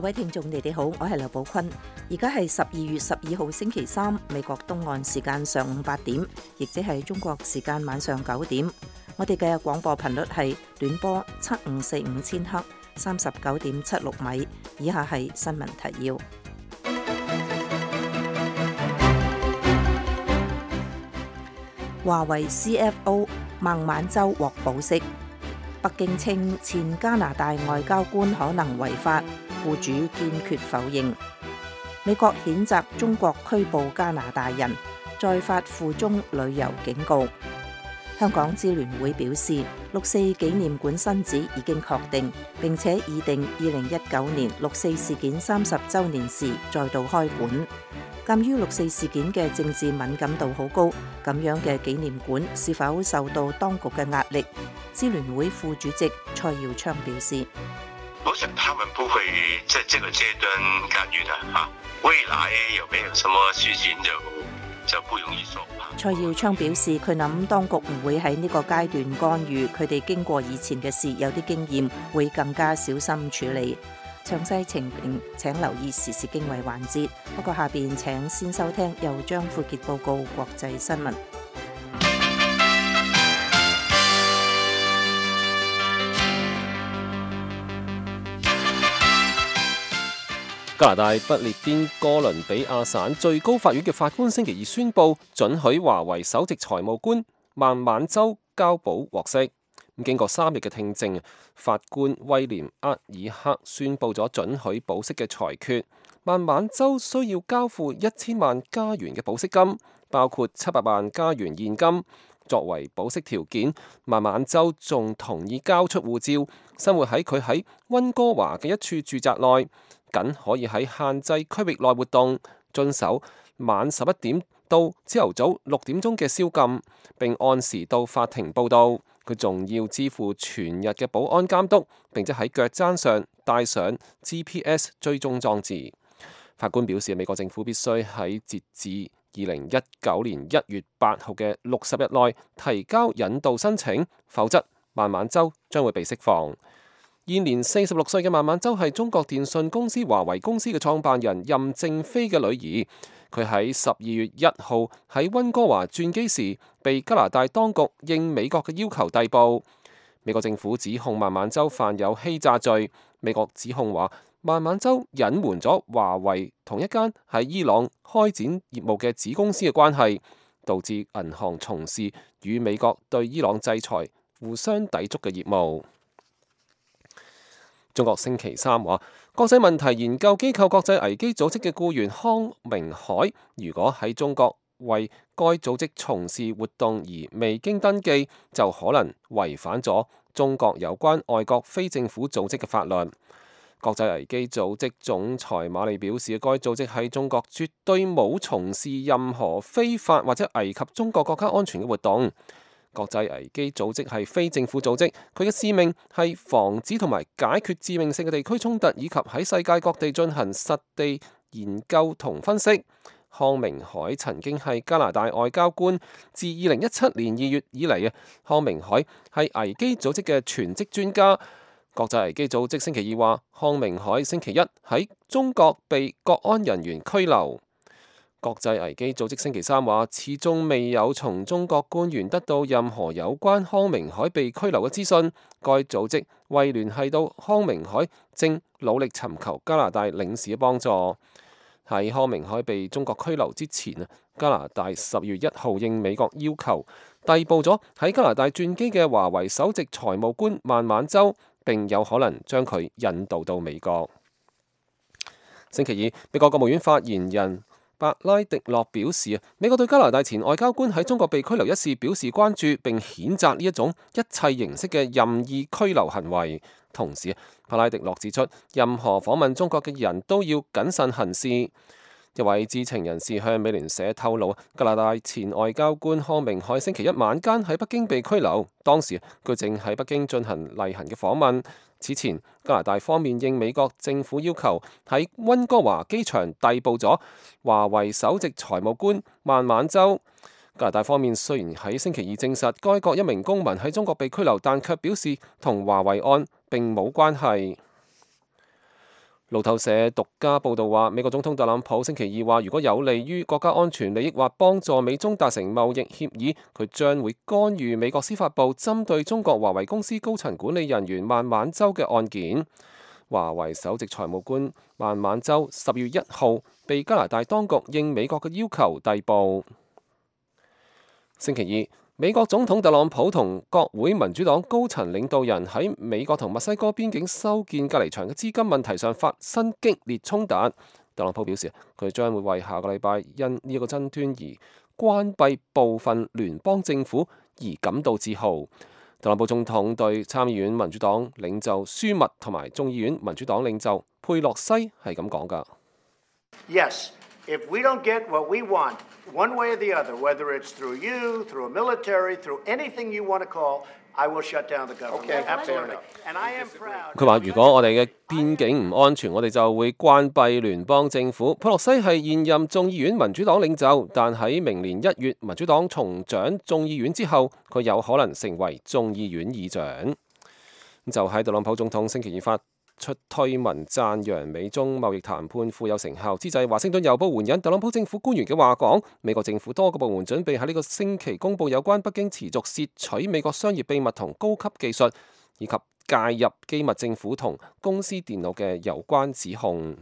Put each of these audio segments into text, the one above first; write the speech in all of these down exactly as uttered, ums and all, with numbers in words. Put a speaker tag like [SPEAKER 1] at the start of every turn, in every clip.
[SPEAKER 1] 各位聽眾，你哋好，我係劉寶坤。而家係十二月十二號星期三，美國東岸時間上午八點，亦即係中國時間晚上九點。我哋嘅廣播頻率係短波七五四五千赫，三十九點七六米。以下係新聞提要。華為 C F O 孟晚舟獲保釋。北京稱前加拿大外交官可能違法，僱主堅決否認。美國譴責中國拘捕加拿大人，再發赴中旅遊警告。香港支聯會表示，六四紀念館新址已經確定，並且擬定二零一九年六四事件三十週年時再度開館。鑑於六四事件嘅政治敏感度好高，咁樣嘅紀念館是否受到當局嘅壓力？支聯會副主席蔡耀昌表示：
[SPEAKER 2] 我想他們不會在這個階段干預的哈，未來有沒有什麼事情就就不容易說。
[SPEAKER 1] 蔡耀昌表示，佢諗當局唔會喺呢個階段干預，佢哋經過以前嘅事，有啲經驗，會更加小心處理。詳細情形請留意時事經緯環節。不過下邊請先收聽由張富傑報告國際新聞。
[SPEAKER 3] 加拿大不列顛哥倫比亞省最高法院嘅法官星期二宣布，准許華為首席財務官孟晚舟交保獲釋。咁經過三日嘅聽證，法官威廉厄爾克宣布咗准許保釋嘅裁決。孟晚舟需要交付一千萬加元嘅保釋金，包括七百萬加元現金。作為保釋條件，孟晚舟仲同意交出護照，生活喺佢喺溫哥華嘅一處住宅內，僅可以喺限制區域內活動，遵守晚十一點到朝頭早六點鐘嘅宵禁，並按時到法庭報到。佢仲要支付全日嘅保安監督，並且喺腳踭上帶上 G P S 追蹤裝置。法官表示，美國政府必須喺截至二零一九年一月八號嘅六十日內提交引渡申請，否則孟晚舟將會被釋放。現年四十六歲嘅孟晚舟係中國電信公司華為公司嘅創辦人任正非嘅女兒。佢喺十二月一號喺溫哥華轉機時，被加拿大當局應美國嘅要求逮捕。美國政府指控孟晚舟犯有欺詐罪。美國指控話，孟晚舟隱瞞咗華為同一間喺伊朗開展業務嘅子公司嘅關係，導致銀行從事與美國對伊朗制裁互相抵觸嘅業務。中國星期三話，國際問題研究機構國際危機組織嘅僱員康明凱，如果喺中國為該組織從事活動而未經登記，就可能違反咗中國有關外國非政府組織嘅法律。國際危機組織總裁馬利表示，該組織喺中國絕對冇從事任何非法或者危及中國國家安全嘅活動。國際危機組織係非政府組織，佢嘅使命係防止同埋解決致命性嘅地區衝突，以及喺世界各地進行實地研究同分析。康明凱曾經係加拿大外交官，自二零一七年二月以嚟啊，康明凱係危機組織嘅全職專家。國際危機組織星期二話，康明凱星期一喺中國被國安人員拘留。國際危機組織星期三話，始終未有從中國官員得到任何有關康明凱被拘留嘅資訊。該組織未聯繫到康明凱，正努力尋求加拿大領事嘅幫助。喺康明凱被中國拘留之前啊，加拿大十月一號應美國要求逮捕咗喺加拿大轉機嘅華為首席財務官孟晚舟，並有可能將佢引渡到美國。星期二，美國國務院發言人白拉迪諾表示，美國對加拿大前外交官喺中國被拘留一事表示關注，並譴責呢一種一切形式嘅任意拘留行為。同時，白拉迪諾指出，任何訪問中國嘅人都要謹慎行事。一位知情人士向美聯社透露，加拿大前外交官康明凱星期一晚間喺北京被拘留，當時佢正喺北京進行例行嘅訪問。此前，加拿大方面應美國政府要求，喺溫哥華機場逮捕咗華為首席財務官孟晚舟。加拿大方面雖然喺星期二證實該國一名公民喺中國被拘留，但卻表示同華為案並冇關係。路透社獨家報導話，美國總統特朗普星期二話，如果有利於國家安全利益或幫助美中達成貿易協議，佢將會干預美國司法部針對中國華為公司高層管理人員孟晚舟嘅案件。華為首席財務官孟晚舟十月一號被加拿大當局應美國嘅要求逮捕。星期二，美國總統特朗普同國會民主黨高層領導人喺美國同墨西哥邊境修建隔離牆嘅資金問題上發生激烈衝突。特朗普表示，佢將會為下個禮拜因呢一個爭端而關閉部分聯邦政府而感到自豪。特朗普總統對參議院民主黨領袖舒密同埋眾議院民主黨領袖佩洛西係咁講㗎。
[SPEAKER 4] Yes, if we don't get what we want, one way or the other, whether it's through you, through a military, through anything you want to call, I will shut down the government.
[SPEAKER 5] Okay,
[SPEAKER 4] absolutely. And I am proud.
[SPEAKER 3] 佢話：如果我哋嘅邊境唔安全，我哋就會關閉聯邦政府。佩洛西係現任眾議院民主黨領袖，但喺明年一月民主黨重掌眾議院之後，佢有可能成為眾議院議長。就喺特朗普總統星期二發出推文讚揚美中貿易談判富有成效之際，華盛頓郵報援引特朗普政府官員嘅話講，美國政府多個部門準備喺呢個星期公佈有關北京持續竊取美國商業秘密同高級技術，以及介入機密政府同公司電腦嘅有關指控。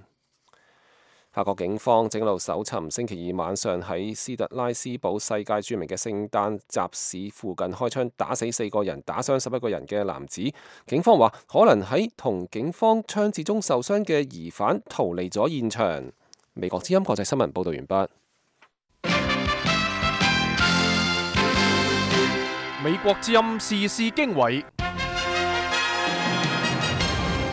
[SPEAKER 3] 法國警方正喺度搜尋星期二晚上喺斯特拉斯堡世界著名嘅聖誕集市附近開槍打死四個人、打傷十一個人嘅男子。警方話可能喺同警方槍戰中受傷嘅疑犯逃離咗現場。美國之音國際新聞報道完畢。
[SPEAKER 6] 美國之音時事經緯。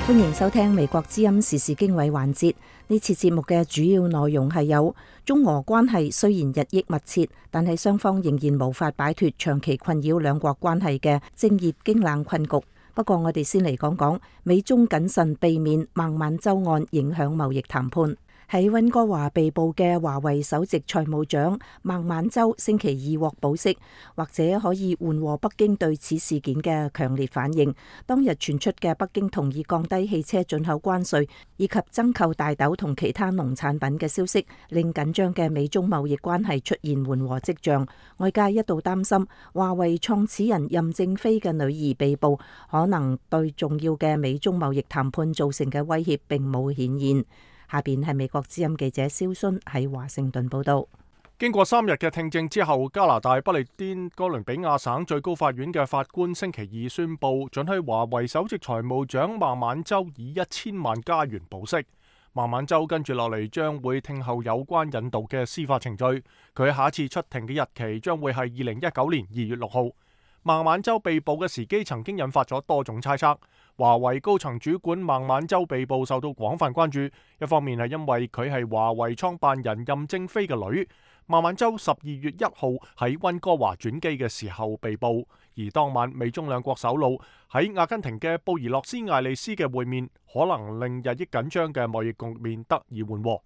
[SPEAKER 1] 歡迎收聽美國之音時事經緯環節。呢次節目嘅主要內容係有中俄關係雖然日益密切，但係雙方仍然無法擺脫長期困擾兩國關係嘅政熱經冷困局。不過我哋先嚟講講美中謹慎避免孟晚舟案影響貿易談判。喺溫哥華被捕嘅華為首席財務長孟晚舟星期二獲保釋，或者可以緩和北京對此事件嘅強烈反應。當日傳出嘅北京同意降低汽車進口關稅以及增購大豆同其他農產品嘅消息，令緊張嘅美中貿易關係出現緩和跡象。外界一度擔心華為創始人任正非嘅女兒被捕，可能對重要嘅美中貿易談判造成嘅威脅並冇顯現。下邊係美國之音記者蕭순喺華盛頓報道。
[SPEAKER 6] 經過三日嘅聽證之後，加拿大不列顛哥倫比亞省最高法院嘅法官星期二宣布，准許華為首席財務長孟晚舟以一千萬加元保釋。孟晚舟跟住落嚟將會聽候有關引渡嘅司法程序，佢下一次出庭嘅日期將會係二零一九年二月六號。孟晚舟被捕嘅時機曾經引發咗多種猜測。華為高層主管孟晚舟被捕受到廣泛關注，一方面係因為佢係華為創辦人任正非嘅女。孟晚舟十二月一號喺溫哥華轉機嘅時候被捕，而當晚美中兩國首腦喺阿根廷嘅布宜諾斯艾利斯嘅會面，可能令日益緊張嘅貿易局面得以緩和。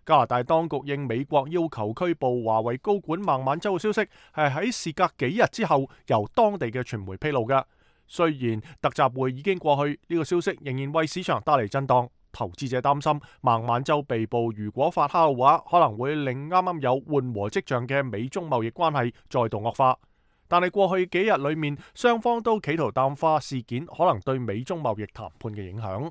[SPEAKER 6] 加拿大當局應美國要求拘捕華為高管孟晚舟嘅消息，係喺事隔幾日之後由當地嘅傳媒披露嘅。雖然特集會已經過去，呢、這個消息仍然為市場帶嚟震盪。投資者擔心孟晚舟被捕如果發酵嘅話，可能會令啱啱有緩和跡象嘅美中貿易關係再度惡化。但係過去幾日裏面，雙方都企圖淡化事件可能對美中貿易談判嘅影響。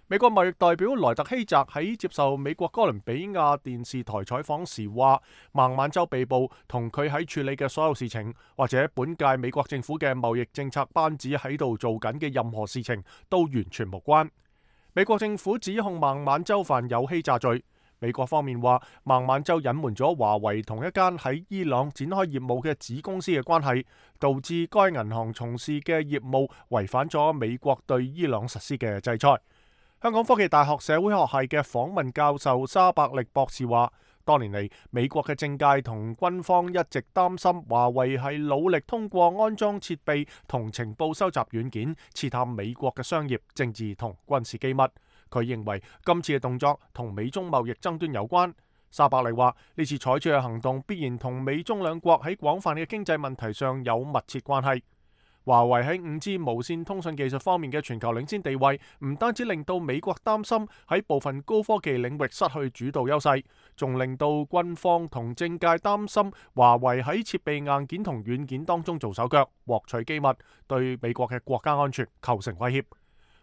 [SPEAKER 6] 美國貿易代表萊特希澤喺接受美國哥倫比亞電視台採訪時話，孟晚舟被捕同佢喺處理嘅所有事情，或者本屆美國政府嘅貿易政策班子喺度做緊嘅任何事情都完全無關。美國政府指控孟晚舟犯有欺詐罪。美國方面話，孟晚舟隱瞞咗華為同一間喺伊朗展開業務嘅子公司嘅關係，導致該銀行從事嘅業務違反咗美國對伊朗實施嘅制裁。香港科技大學社會學系嘅訪問教授沙伯力博士話，多年嚟美國嘅政界同軍方一直擔心華為係努力通過安裝設備同情報收集軟件刺探美國嘅商業、政治同軍事機密。佢認為今次嘅動作同美中貿易爭端有關。沙伯力話，呢次採取嘅行動必然同美中兩國喺廣泛嘅經濟問題上有密切關係。華為喺五 G 無線通訊技術方面嘅全球領先地位，唔單止令到美國擔心喺部分高科技領域失去主導優勢，仲令到軍方同政界擔心華為喺設備硬件同軟件當中做手腳，獲取機密，對美國嘅國家安全構成威脅。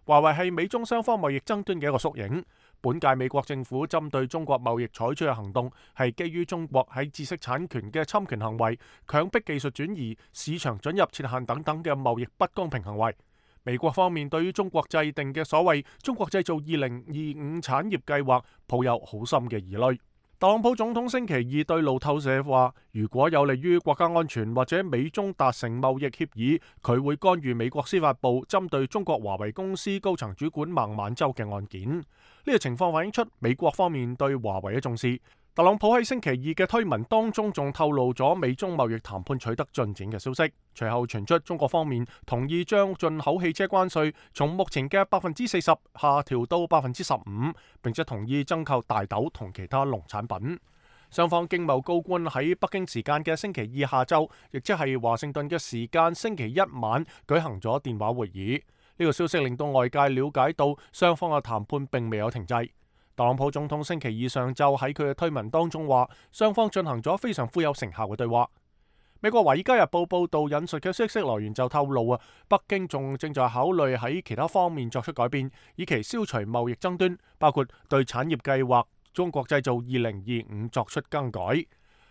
[SPEAKER 6] 華為係美中雙方貿易爭端嘅一個縮影。本屆美國政府針對中國貿易採取嘅行動，係基於中國喺知識產權嘅侵權行為、強迫技術轉移、市場准入設限等等嘅貿易不公平行為。美國方面對於中國制定嘅所謂中國製造二零二五產業計劃，抱有好深嘅疑慮。特朗普總統星期二對路透社話，如果有利於國家安全或者美中達成貿易協議，佢會干預美國司法部針對中國華為公司高層主管孟晚舟嘅案件。呢個情況反映出美國方面對華為嘅重視。特朗普喺星期二嘅推文當中仲透露咗美中貿易談判取得進展嘅消息，隨後傳出中國方面同意將進口汽車關稅從目前嘅百分之四十下調到百分之十五，並且同意增購大豆同其他農產品。雙方經貿高官喺北京時間嘅星期二下晝，亦即係華盛頓嘅時間星期一晚舉行咗電話會議。呢個消息令到外界了解到雙方嘅談判並未有停滯。特朗普總統星期二上晝喺佢嘅推文當中話，雙方進行咗非常富有成效嘅對話。美國《華爾街日報》報道引述嘅消息來源就透露啊，北京仲正在考慮喺其他方面作出改變，以期消除貿易爭端，包括對產業計劃中國製造二零二五作出更改。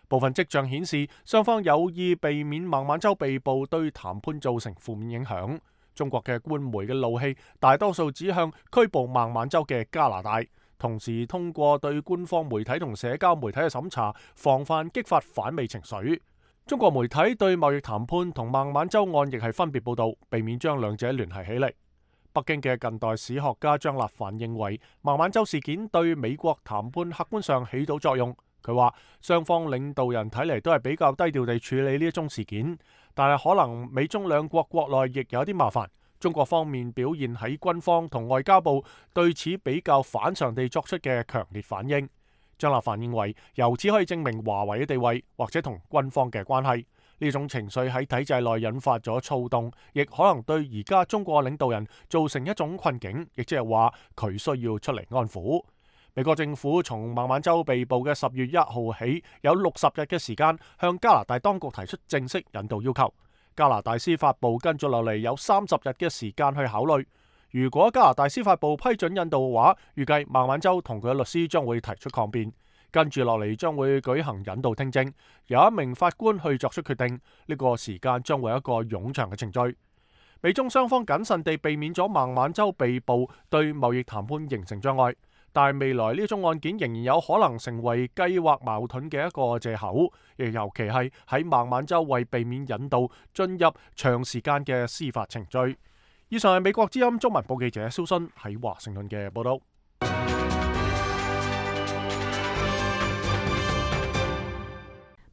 [SPEAKER 6] 部分跡象顯示，雙方有意避免孟晚舟被捕對談判造成負面影響。中國嘅官媒嘅怒氣大多數指向拘捕孟晚舟嘅加拿大，同時通過對官方媒體同社交媒體嘅審查，防範激發反美情緒。中國媒體對貿易談判同孟晚舟案亦係分別報導，避免將兩者聯繫起嚟。北京嘅近代史學家張立凡認為，孟晚舟事件對美國談判客觀上起到作用。佢話雙方領導人睇嚟都係比較低調地處理呢一宗事件，但係可能美中兩國國內亦有啲麻煩。中國方面表現喺軍方同外交部對此比較反常地作出嘅強烈反應。張立凡認為，由此可以證明華為嘅地位或者同軍方嘅關係。呢種情緒喺體制內引發咗躁動，亦可能對而家中國領導人造成一種困境，亦即係話佢需要出嚟安撫。美國政府從孟晚舟被捕嘅十月一號起，有六十日嘅時間向加拿大當局提出正式引渡要求。加拿大司法部跟住落嚟有三十日嘅時間去考慮。如果加拿大司法部批准引渡嘅話，預計孟晚舟同佢嘅律師將會提出抗辯。跟住落嚟將會舉行引渡聽證，由一名法官去作出決定。呢個時間將會有一個冗長嘅程序。美中雙方謹慎地避免咗孟晚舟被捕對貿易談判形成障礙，但係未來呢宗案件仍然有可能成為計劃矛盾嘅一個藉口，亦尤其係喺孟晚舟為避免引渡進入長時間嘅司法程序。以上係美國之音中文報記者蕭순喺華盛頓嘅報道。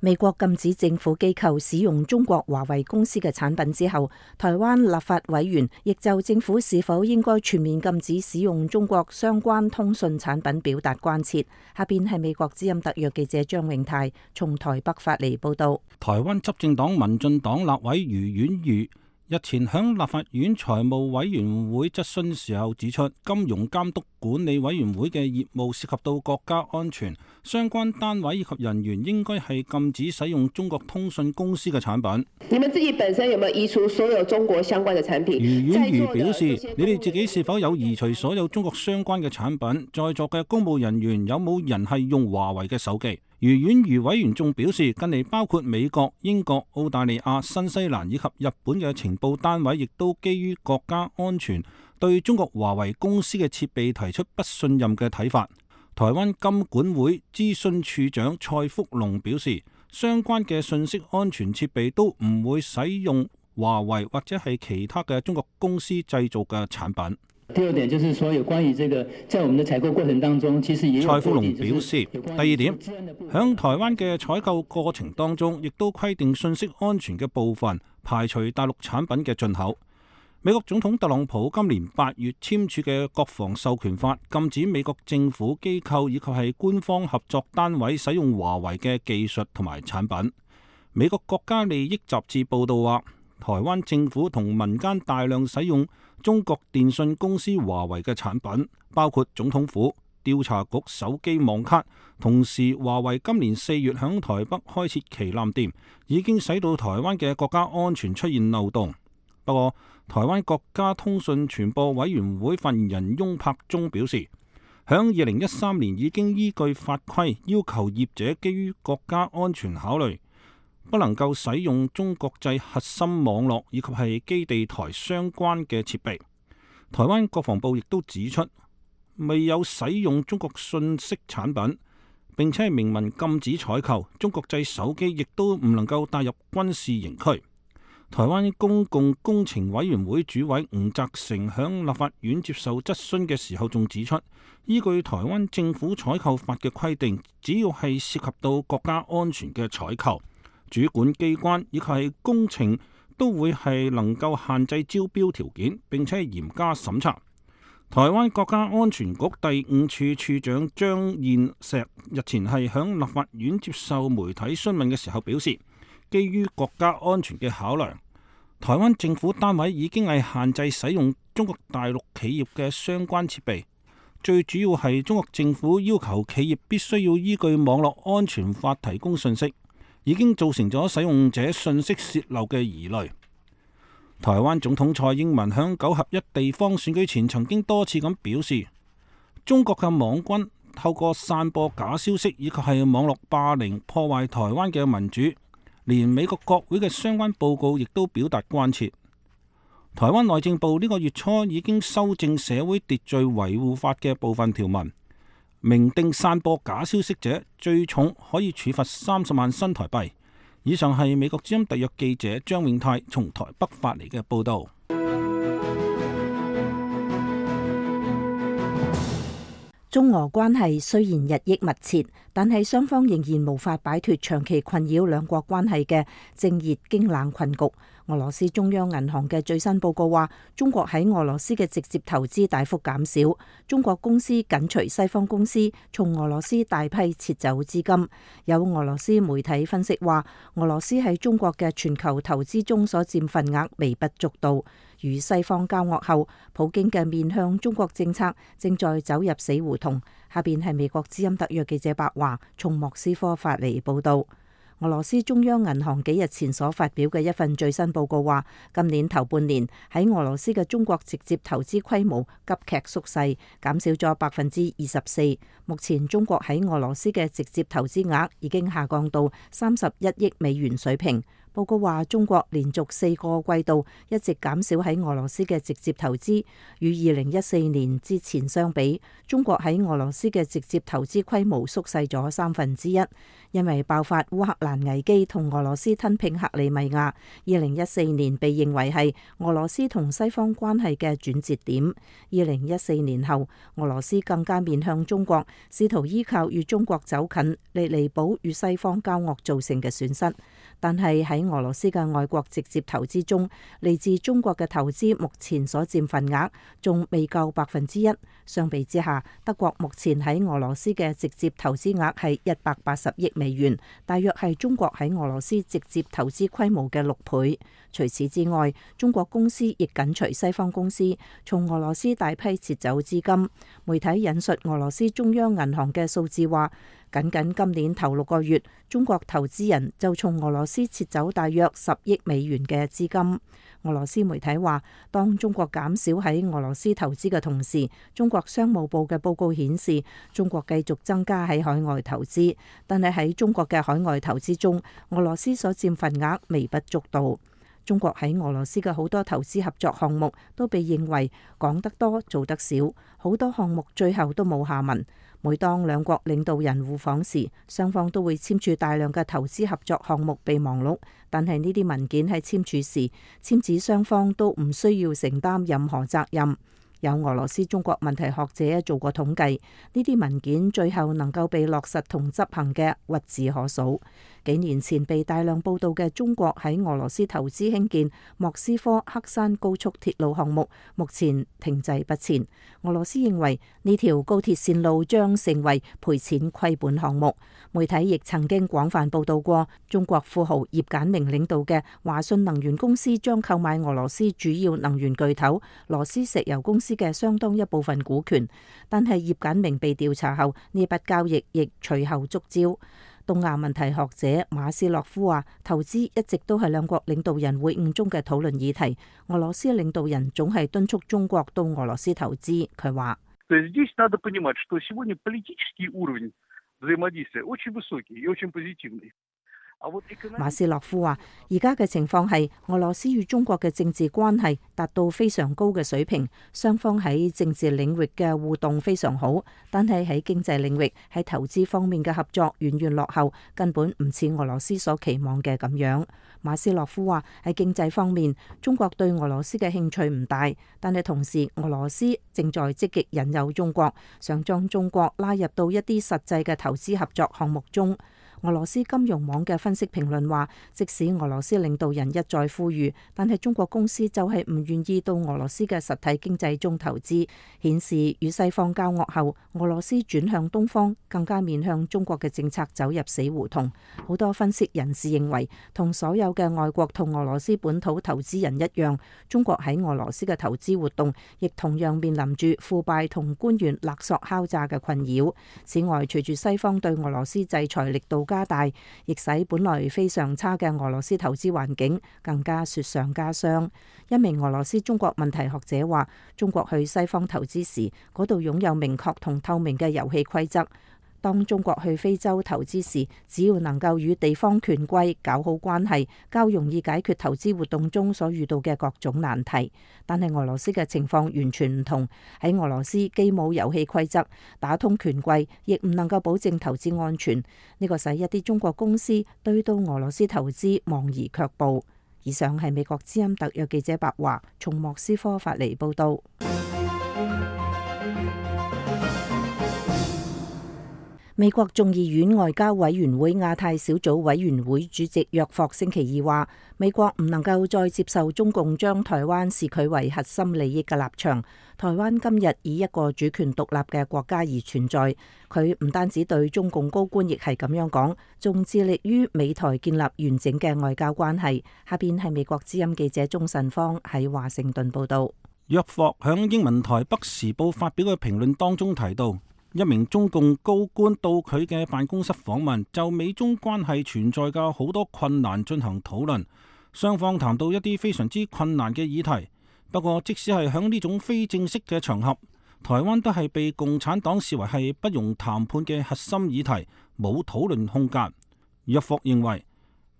[SPEAKER 1] 美國禁止政府機構使用中國華為公司嘅產品之後，台灣立法委員亦就政府是否應該全面禁止使用中國相關通訊產品表達關切。下邊係美國之音特約記者張永泰從台北發嚟報道。
[SPEAKER 5] 台灣執政黨民進黨立委余婉瑜日前向立法院財務委員會質詢時候指出，金融監督管理委員會嘅業務涉及到國家安全，相關單位以及人員應該係禁止使用中國通訊公司嘅產品。
[SPEAKER 7] 你們自己本身有沒有移除所有中國相關嘅產品？
[SPEAKER 5] 余婉瑜表示，你哋自己是否有移除所有中國相關嘅產品？在座嘅公務人員有冇人係用華為嘅手機？余婉瑜委員仲表示，近嚟包括美國、英國、澳大利亞、新西蘭以及日本嘅情報單位，亦都基於國家安全，對中國華為公司嘅設備提出不信任嘅睇法。台灣金管會諮詢處長蔡福龍表示，相關嘅信息安全設備都唔會使用華為或者係其他嘅中國公司製造嘅產品。
[SPEAKER 8] 第二點就是說，有關於這個，在我們的採購過程當中，其實也有。
[SPEAKER 5] 蔡福龍表示，第二點，響台灣嘅採購過程當中，亦都規定信息安全嘅部分排除大陸產品嘅進口。美國總統特朗普今年八月簽署嘅國防授權法，禁止美國政府機構以及係官方合作單位使用華為嘅技術同埋產品。美國國家利益雜誌報道話，台灣政府同民間大量使用中國電信公司華為嘅產品，包括總統府、調查局手機網卡。同時，華為今年四月響台北開設旗艦店，已經使到台灣嘅國家安全出現漏洞。不過，台灣國家通訊傳播委員會發言人翁柏忠表示，響二零一三年已經依據法規要求業者基於國家安全考慮，不能夠使用中國製核心網絡以及係基地台相關嘅設備。台灣國防部亦都指出，未有使用中國信息產品，並且係明文禁止採購中國製手機，亦都唔能夠帶入軍事營區。台灣公共工程委員會主委吳澤成響立法院接受質詢嘅時候，仲指出，依據台灣政府採購法嘅規定，只要係涉及到國家安全嘅採購，主管機關以及係工程都會係能夠限制招標條件，並且係嚴加審查。台灣國家安全局第五處處長張燕石日前係響立法院接受媒體詢問嘅時候表示，基於國家安全嘅考量，台灣政府單位已經係限制使用中國大陸企業嘅相關設備。最主要係中國政府要求企業必須要依據網絡安全法提供信息，已經造成咗使用者信息洩漏嘅疑慮。台灣總統蔡英文響九合一地方選舉前曾經多次咁表示，中國嘅網軍透過散播假消息以及係網絡霸凌破壞台灣嘅民主。連美國國會嘅相關報告亦都表達關切。台灣內政部呢個月初已經修正社會秩序維護法嘅部分條文，明定散播假消息者最重可以處罰三十萬新台幣。以上係美國之音特約記者張永泰從台北發嚟嘅報導。
[SPEAKER 1] 中俄關係雖然日益密切，但係雙方仍然無法擺脫長期困擾兩國關係嘅正熱經冷困局。俄羅斯中央銀行嘅最新報告話，中國喺俄羅斯嘅直接投資大幅減少，中國公司緊隨西方公司從俄羅斯大批撤走資金。有俄羅斯媒體分析話，俄羅斯喺中國嘅全球投資中所佔份額微不足道。與西方交惡後，普京嘅面向中國政策正在走入死胡同。下邊係美國之音特約記者白華從莫斯科發嚟報道。俄羅斯中央銀行幾日前所發表嘅一份最新報告話，今年頭半年喺俄羅斯嘅中國直接投資規模急劇縮細，減少咗百分之二十四。目前中國喺俄羅斯嘅直接投資額已經下降到三十一億美元水平。報告話，中國連續四個季度一直減少喺俄羅斯嘅直接投資，與二零一四年之前相比，中國喺俄羅斯嘅直接投資規模縮細咗三分之一。因為爆發烏克蘭危機同俄羅斯吞併克里米亞，二零一四年被認為係俄羅斯同西方關係嘅轉折點。二零一四年後，俄羅斯更加面向中國，試圖依靠與中國走近嚟彌補與西方交惡造成嘅損失。但係喺俄羅斯嘅外國直接投資中，嚟自中國嘅投資目前所佔份額仲未夠百分之一。相比之下，德國目前喺俄羅斯嘅直接投資額係一百八十億美元，大約係中國喺俄羅斯直接投資規模嘅六倍。除此之外，中國公司亦緊隨西方公司從俄羅斯大批撤走資金。媒體引述俄羅斯中央銀行嘅數字話，僅僅今年頭六個月，中國投資人就從俄羅斯撤走大約十億美元嘅資金。俄羅斯媒體話，當中國減少喺俄羅斯投資嘅同時，中國商務部嘅報告顯示，中國繼續增加喺海外投資，但係喺中國嘅海外投資中，俄羅斯所佔份額微不足道。中國喺俄羅斯嘅好多投資合作項目都被認為講得多做得少，好多項目最後都冇下文。每當兩國領導人互訪時，雙方都會簽署大量嘅投資合作項目備忘錄，但係呢啲文件喺簽署時，簽字雙方都唔需要承擔任何責任。有俄羅斯中國問題學者做過統計，呢啲文件最後能夠被落實同執行嘅屈指可數。幾年前被大量報道嘅中國喺俄羅斯投資興建莫斯科黑山高速鐵路項目，目前停滯不前。俄羅斯認為呢條高鐵線路將成為賠錢虧本項目。媒體亦曾經廣泛報道過，中國富豪葉簡明領導嘅華信能源公司將購買俄羅斯主要能源巨頭羅斯石油公司嘅相當一部分股權。但係葉簡明被調查後，呢筆交易亦隨後觸礁。東亞問題學者馬斯洛夫話：投資一直都係兩國領導人會晤中嘅討論議題。俄羅斯領導人總係敦促中國到俄羅斯投資。佢話：馬斯洛夫話：而家嘅情況係俄羅斯與中國嘅政治關係達到非常高嘅水平，雙方喺政治領域嘅互動非常好，但係喺經濟領域、喺投資方面嘅合作遠遠落後，根本唔似俄羅斯所期望嘅咁樣。馬斯洛夫話：喺經濟方面，中國對俄羅斯嘅興趣唔大，但係同時俄羅斯正在積極引誘中國，想將中國拉入到一啲實際嘅投資合作項目中。俄羅斯金融網嘅分析評論話，即使俄羅斯領導人一再呼籲，但係中國公司就係唔願意到俄羅斯嘅實體經濟中投資，顯示與西方交惡後，俄羅斯轉向東方，更加面向中國嘅政策走入死胡同。好多分析人士認為，同所有嘅外國同俄羅斯本土投資人一樣，中國喺俄羅斯嘅投資活動亦同樣面臨住腐敗同官員勒索敲詐嘅困擾。此外，隨住西方對俄羅斯制裁力度加大，亦使本來非常差嘅俄羅斯投資環境更加雪上加霜。一名俄羅斯中國問題學者話：中國去西方投資時，嗰度擁有明確同透明嘅遊戲規則。當中國去非洲投資時，只要能夠與地方權貴搞好關係，較容易解決投資活動中所遇到嘅各種難題。但係俄羅斯嘅情況完全唔同，喺俄羅斯既冇遊戲規則，打通權貴，亦唔能夠保證投資安全。呢個使一啲中國公司對到俄羅斯投資望而卻步。以上係美國之音特約記者白華從莫斯科發嚟報道。美國眾議院外交委員會亞太小組委員會主席約霍星期二話，美國唔能夠再接受中共將台灣視佢為核心利益嘅立場。台灣今日以一個主權獨立嘅國家而存在，佢唔單止對中共高官亦係咁樣講，仲致力於美台建立完整嘅外交關係。下邊係美國之音記者鍾慎芳喺華盛頓報道。
[SPEAKER 5] 約霍響英文台北時報發表嘅評論當中提到，一名中共高官到佢嘅辦公室訪問，就美中關係存在嘅好多困難進行討論，雙方談到一啲非常之困難嘅議題。不過即使係響呢種非正式嘅場合，台灣都係被共產黨視為係不容談判嘅核心議題，冇討論空間。約霍認為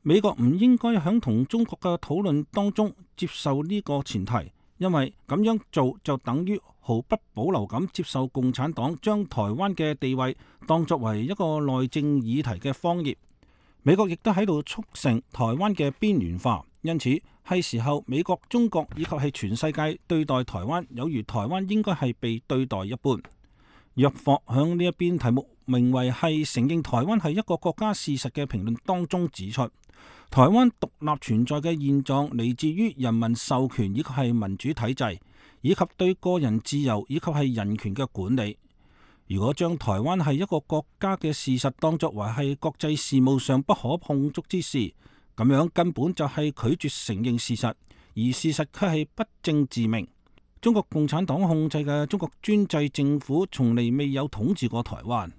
[SPEAKER 5] 美國唔應該響同中國嘅討論當中接受呢個前提，因為咁樣做就等於毫不保留咁接受共產黨將台灣嘅地位當作為一個內政議題嘅荒業。美國亦都喺度促成台灣嘅邊緣化，因此係時候美國、中國以及係全世界對待台灣有如台灣應該係被對待一般。約霍響呢一邊題目名為係承認台灣係一個國家事實嘅評論當中指出，台灣獨立存在嘅現狀嚟自於人民授權以及係民主體制，以及對個人自由以及係人權嘅管理。如果將台灣係一個國家嘅事實當作為係國際事務上不可碰觸之事，咁樣根本就係拒絕承認事實，而事實卻係不證自明。中國共產黨控制嘅中國專制政府從嚟未有統治過台灣。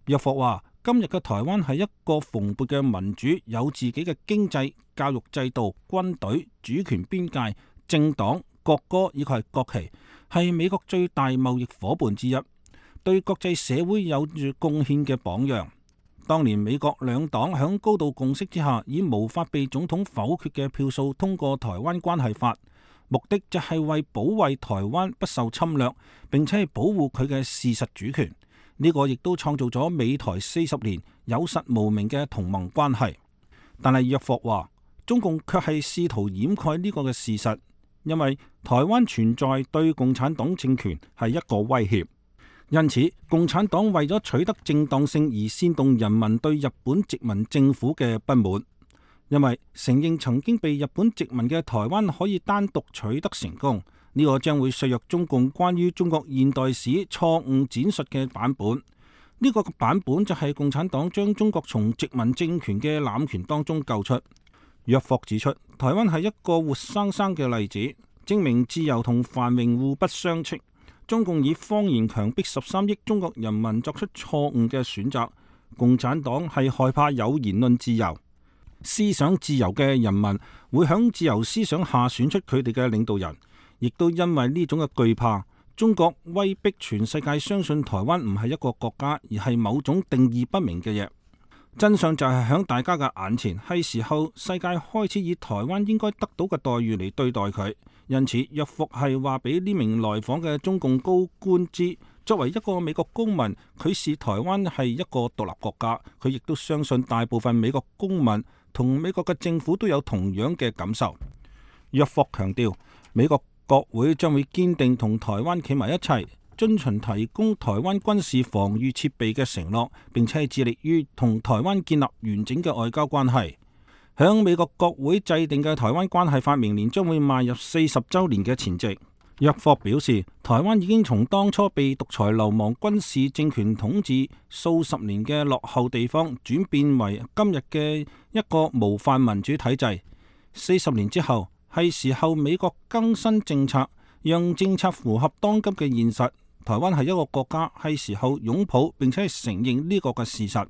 [SPEAKER 5] 約霍話：今日嘅台灣係一個蓬勃嘅民主，有自己嘅經濟、教育制度、軍隊、主權邊界、政黨、國歌以及係國旗，係美國最大貿易夥伴之一，對國際社會有住貢獻嘅榜樣。當年美國兩黨響高度共識之下，以無法被總統否決嘅票數通過台灣關係法，目的就係為保衛台灣不受侵略，並且係保護佢嘅事實主權。呢個亦都創造咗美台四十年有實無名嘅同盟關係。但係約霍話，中共卻係試圖掩蓋呢個嘅事實。因為台灣存在對共產黨政權係一個威脅。因此，共產黨為咗取得正當性而煽動人民對日本殖民政府嘅不滿，因為承認曾經被日本殖民嘅台灣可以單獨取得成功，呢個將會削弱中共關於中國現代史錯誤展述嘅版本。呢個版本就係共產黨將中國從殖民政權嘅攬權當中救出。約霍指出，台灣係一個活生生嘅例子，證明自由同繁榮互不相斥。中共以謊言強迫十三億中國人民作出錯誤嘅選擇。共產黨係害怕有言論自由、思想自由嘅人民會響自由思想下選出佢哋嘅領導人，亦都因為呢種嘅懼怕，中國威逼全世界相信台灣唔係一個國家，而係某種定義不明嘅嘢。真相就係響大家嘅眼前，係時候世界開始以台灣應該得到嘅待遇嚟對待佢。因此，約霍係話俾呢名來訪嘅中共高官知，作為一個美國公民，佢視台灣係一個獨立國家，佢亦都相信大部分美國公民同美國嘅政府都有同樣嘅感受。約霍強調，美國國會將會堅定同台灣企埋一齊，遵循提供台灣軍事防禦設備嘅承諾，並且致力於同台灣建立完整嘅外交關係。響美國國會制定嘅台灣關係法明年將會邁入四十週年嘅前夕。約霍表示，台灣已經從當初被獨裁流氓軍事政權統治數十年嘅落後地方，轉變為今日嘅一個模範民主體制。四十年之後，係時候美國更新政策，讓政策符合當今嘅現實。台灣係一個國家，係時候擁抱並且係承認呢個嘅事實。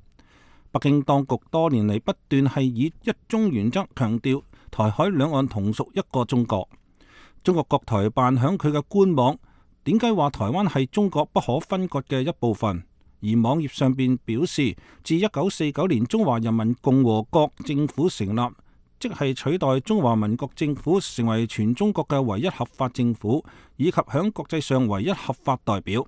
[SPEAKER 5] 北京當局多年嚟不斷係以一中原則強調台海兩岸同屬一個中國。中國國台辦響佢嘅官網點解話台灣係中國不可分割嘅一部分？而網頁上邊表示，自一九四九年中華人民共和國政府成立，即係取代中華民國政府成為全中國嘅唯一合法政府，以及響國際上唯一合法代表。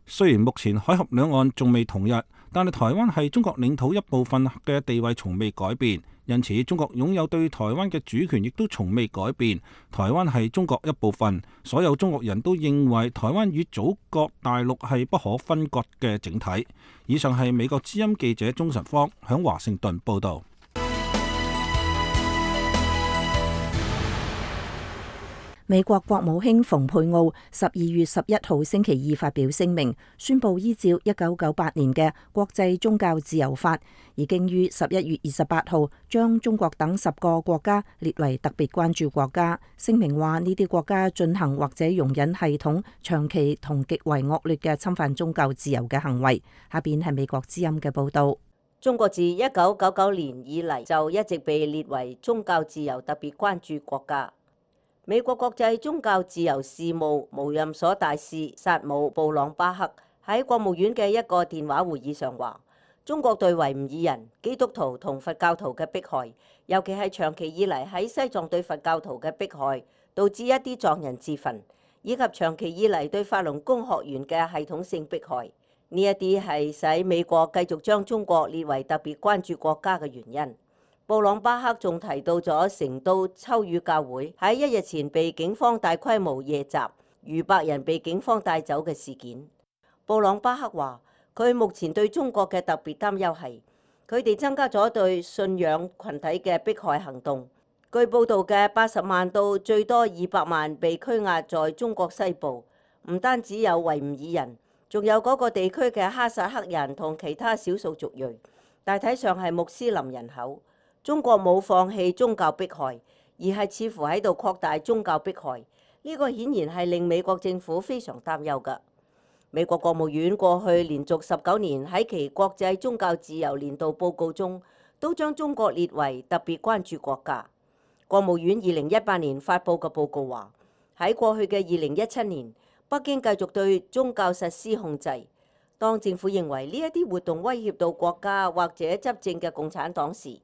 [SPEAKER 5] 雖然目前海峽兩岸仲未統一，但係台灣係中國領土一部分嘅地位從未改變，因此中國擁有對台灣嘅主權亦都從未改變。台灣係中國一部分，所有中國人都認為台灣與祖國大陸係不可分割嘅整體。以上係美國之音記者鍾晨芳響華盛頓報道。
[SPEAKER 1] 美國國務卿蓬佩奧十二月十一號星期二發表聲明，宣布依照一九九八年嘅國際宗教自由法，已經於十一月二十八號將中國等十個國家列為特別關注國家。聲明話呢啲國家進行或者容忍系統、長期同極為惡劣嘅侵犯宗教自由嘅行為。下邊係美國之音嘅報道。
[SPEAKER 9] 中國自一九九九年以嚟就一直被列為宗教自由特別關注國家。美國國際宗教自由事務無任所大使薩姆布朗巴克喺國務院嘅一個電話會議上話，中國對維吾爾人、基督徒同佛教徒嘅迫害，尤其係長期以嚟喺西藏對佛教徒嘅迫害，導致一啲藏人自焚，以及長期以嚟對法輪功學員嘅系統性迫害，呢一啲係使美國繼續將中國列為特別關注國家嘅原因。布朗巴克仲提到咗成都秋雨教會喺一日前被警方大規模夜襲，逾百人被警方帶走嘅事件。布朗巴克話，佢目前對中國嘅特別擔憂係，佢哋增加咗對信仰群體嘅迫害行動。據報道嘅八十萬到最多二百萬被拘押在中國西部，唔單止有維吾爾人，仲有嗰個地區嘅哈薩克人同其他少數族裔，大體上係穆斯林人口。中國冇放棄宗教迫害，而係似乎喺度擴大宗教迫害。呢個顯然係令美國政府非常擔憂㗎。美國國務院過去連續十九年喺其國際宗教自由年度報告中，都將中國列為特別關注國家。國務院二零一八年發布嘅報告話，喺過去嘅二零一七年，北京繼續對宗教實施控制。當政府認為呢一啲活動威脅到國家或者執政嘅共產黨時，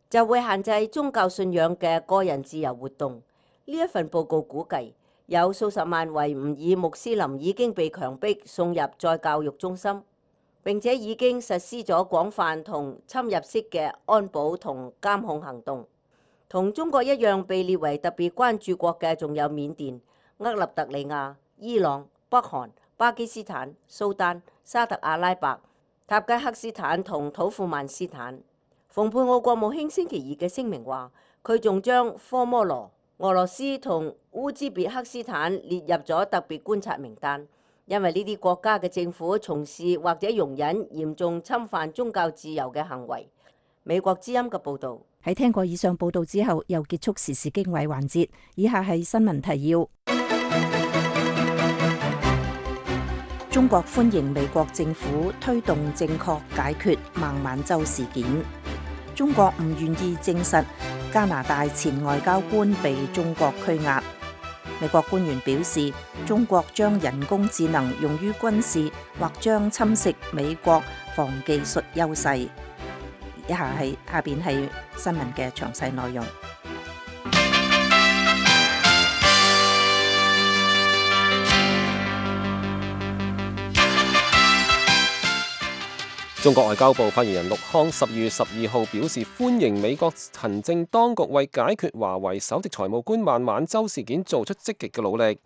[SPEAKER 9] 就會限制宗教信仰嘅個人自由活動。呢一份報告估計，有數十萬維吾爾穆斯林已經被強迫送入再教育中心，並且已經實施咗廣泛同侵入式嘅安保同監控行動。同中國一樣被列為特別關注國嘅仲有緬甸、厄立特里亞、伊朗、北韓、巴基斯坦、蘇丹、沙特阿拉伯、塔吉克斯坦同土庫曼斯坦。蓬佩奧國務卿星期二嘅聲明話，佢仲將科摩羅、俄羅斯同烏茲別克斯坦列入咗特別觀察名單，因為呢啲國家嘅政府從事或者容忍嚴重侵犯宗教自由嘅行為。美國之音嘅報導。
[SPEAKER 1] 喺聽過以上報導之後，又結束時事經緯環節。以下係新聞提要：中國歡迎美國政府推動正確解決孟晚舟事件。中國唔願意證實加拿大前外交官被中國拘押。美國官員表示，中國將人工智能用於軍事，或將侵蝕美國防技術優勢。以下係下邊係新聞嘅詳細內容。
[SPEAKER 3] 中國外交部發言人陸康十二月十二號表示，歡迎美國行政當局為解決華為首席財務官孟晚舟事件做出積極嘅努力。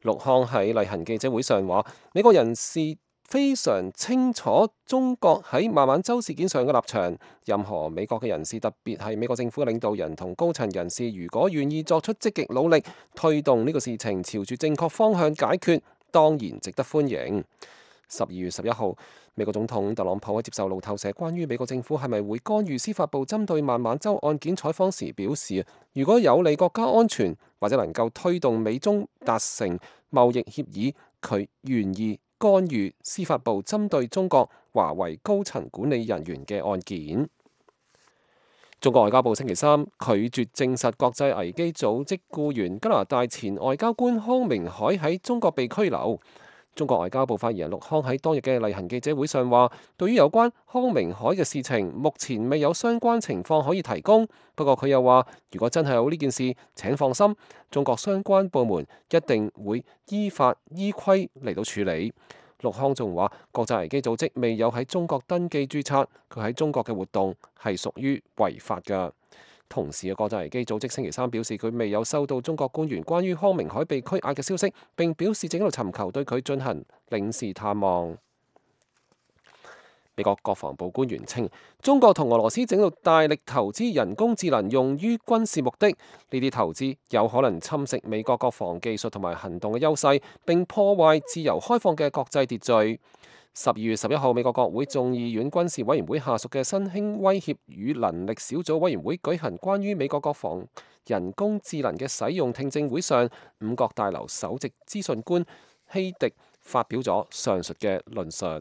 [SPEAKER 3] 陸康喺例行記者會上話，美國人士非常清楚中國喺孟晚舟事件上嘅立場。任何美國嘅人士，特別係美國政府嘅領導人同高層人士，如果願意作出積極努力，推動呢個事情朝住正確方向解決，當然值得歡迎。十二月十一號，美國總統特朗普喺接受路透社關於美國政府係咪會干預司法部針對孟晚舟案件採訪時表示，如果有利國家安全或者能夠推動美中達成貿易協議，佢願意干預司法部針對中國華為高層管理人員嘅案件。中國外交部星期三拒絕證實國際危機組織僱員加拿大前外交官康明凱喺中國被拘留。中國外交部發言人陸康喺當日嘅例行記者會上話，對於有關康明凱嘅事情，目前未有相關情況可以提供。不過佢又話，如果真係有呢件事，請放心，中國相關部門一定會依法依規嚟到處理。陸康仲話，國際危機組織未有喺中國登記註冊，佢喺中國嘅活動係屬於違法㗎。同時嘅國際危機組織星期三表示，佢未有收到中國官員關於康明凱被拘押嘅消息，並表示正喺度尋求對佢進行領事探望。美國國防部官員稱，中國同俄羅斯正喺度大力投資人工智能用於軍事目的，呢啲投資有可能侵蝕美國國防技術同埋行動嘅優勢，並破壞自由開放嘅國際秩序。十二月十一號，美國國會眾議院軍事委員會下屬嘅新興威脅與能力小組委員會舉行關於美國國防人工智能嘅使用聽證會上，五角大樓首席資訊官希迪發表咗上述嘅論述。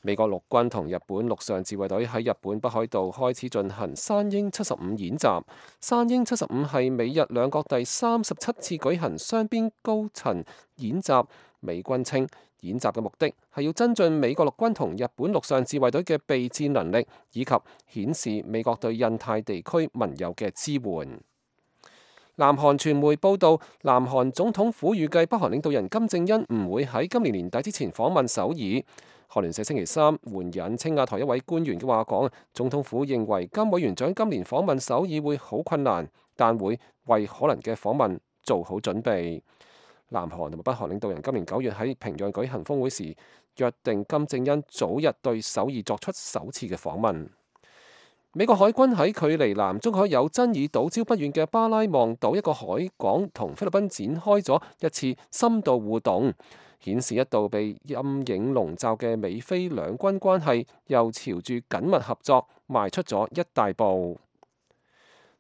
[SPEAKER 3] 美國陸軍同日本陸上自衛隊喺日本北海道開始進行山鷹七十五演習。山鷹七十五係美日兩國第三十七次舉行雙邊高層演習。美軍稱，演習嘅目的係要增進美國陸軍同日本陸上自衛隊嘅備戰能力，以及顯示美國對印太地區盟友嘅支援。南韓傳媒報道，南韓總統府預計北韓領導人金正恩唔會喺今年年底之前訪問首爾。韓聯社星期三援引青瓦台一位官員嘅話講，總統府認為金委員長今年訪問首爾會好困難，但會為可能嘅訪問做好準備。南韓同埋北韓領導人今年九月喺平壤舉行峰會時，約定金正恩早日對首爾作出首次嘅訪問。美國海軍喺距離南中海有爭議島礁不遠嘅巴拉望島一個海港同菲律賓展開咗一次深度互動，顯示一度被陰影籠罩嘅美菲兩軍關係又朝住緊密合作邁出咗一大步。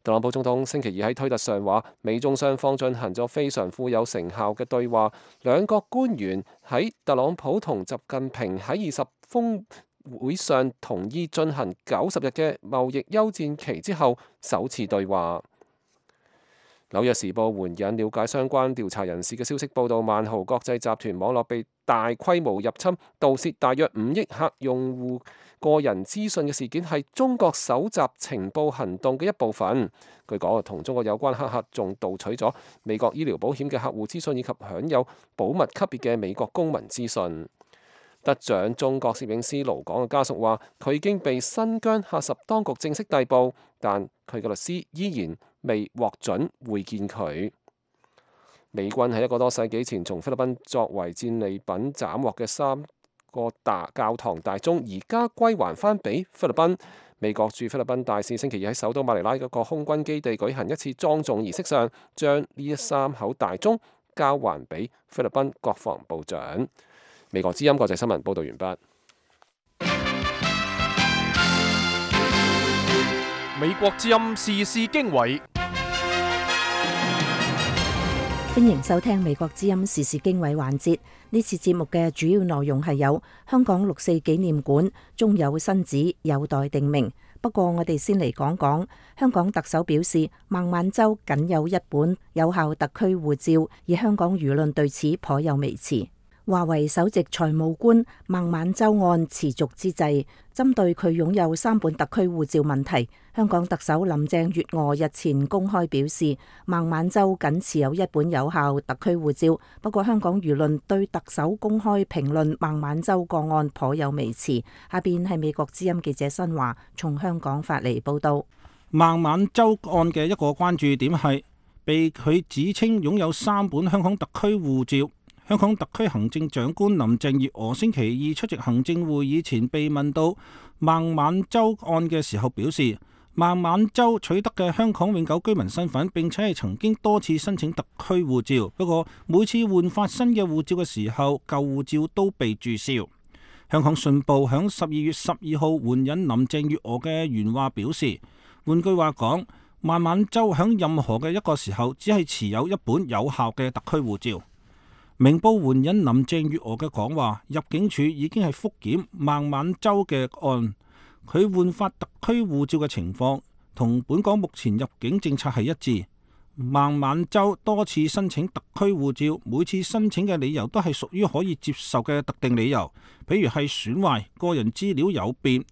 [SPEAKER 3] 特朗普總統星期二喺推特上話，美中雙方進行咗非常富有成效嘅對話，兩國官員喺特朗普同習近平喺二十峰會上同意進行九十日嘅貿易休戰期之後首次對話。紐約時報援引了解相關調查人士嘅消息報道，萬豪國際集團網絡被大規模入侵，盜竊大約五億客用戶個人資訊嘅事件係中國搜集情報行動嘅一部分。據講，同中國有關黑客仲盜取咗美國醫療保險嘅客戶資訊，以及享有保密級別嘅美國公民資訊。得獎中國攝影師盧港嘅家屬話，佢已經被新疆喀什當局正式逮捕，但佢嘅律師依然未獲准會見佢。美軍喺一個多世紀前從菲律賓作為戰利品斬獲嘅三個大教堂大鐘，而家歸還翻俾菲律賓。美國駐菲律賓大使星期二喺首都馬尼拉嗰個空軍基地舉行一次莊重儀式上，將呢三口大鐘交還俾菲律賓國防部長。美國之音國際新聞報道完畢。
[SPEAKER 6] 美國之音時事經緯，
[SPEAKER 1] 歡迎收聽美國之音時事經緯環節。呢次節目嘅主要內容係有香港六四紀念館終有新址，有待定名。不過我哋先嚟講講，香港特首表示孟晚舟僅有一本有效特區護照，而香港輿論對此頗有微詞。華為首席財務官孟晚舟案持續之際，針對佢擁有三本特區護照問題，香港特首林鄭月娥日前公開表示，孟晚舟僅持有一本有效特區護照。不過香港輿論對特首公開評論孟晚舟個案頗有微詞。下邊係美國之音記者新華從香港發嚟報道。
[SPEAKER 5] 孟晚舟案嘅一個關注點係，被佢指稱擁有三本香港特區護照。香港特區行政長官林鄭月娥星期二出席行政會議前被問到孟晚舟案嘅時候，表示孟晚舟取得嘅香港永久居民身份，並且係曾經多次申請特區護照，不過每次換發新嘅護照嘅時候，舊護照都被註銷。香港信報響十二月十二號援引林鄭月娥嘅原話表示，換句話講，孟晚舟響任何嘅一個時候，只係持有一本有效嘅特區護照。明報援引林鄭月娥嘅講話，入境處已經係覆檢孟晚舟嘅案，佢換發特區護照嘅情況同本港目前入境政策係一致。孟晚舟多次申請特區護照，每次申請嘅理由都係屬於可以接受嘅特定理由，譬如係損壞、個人資料有變。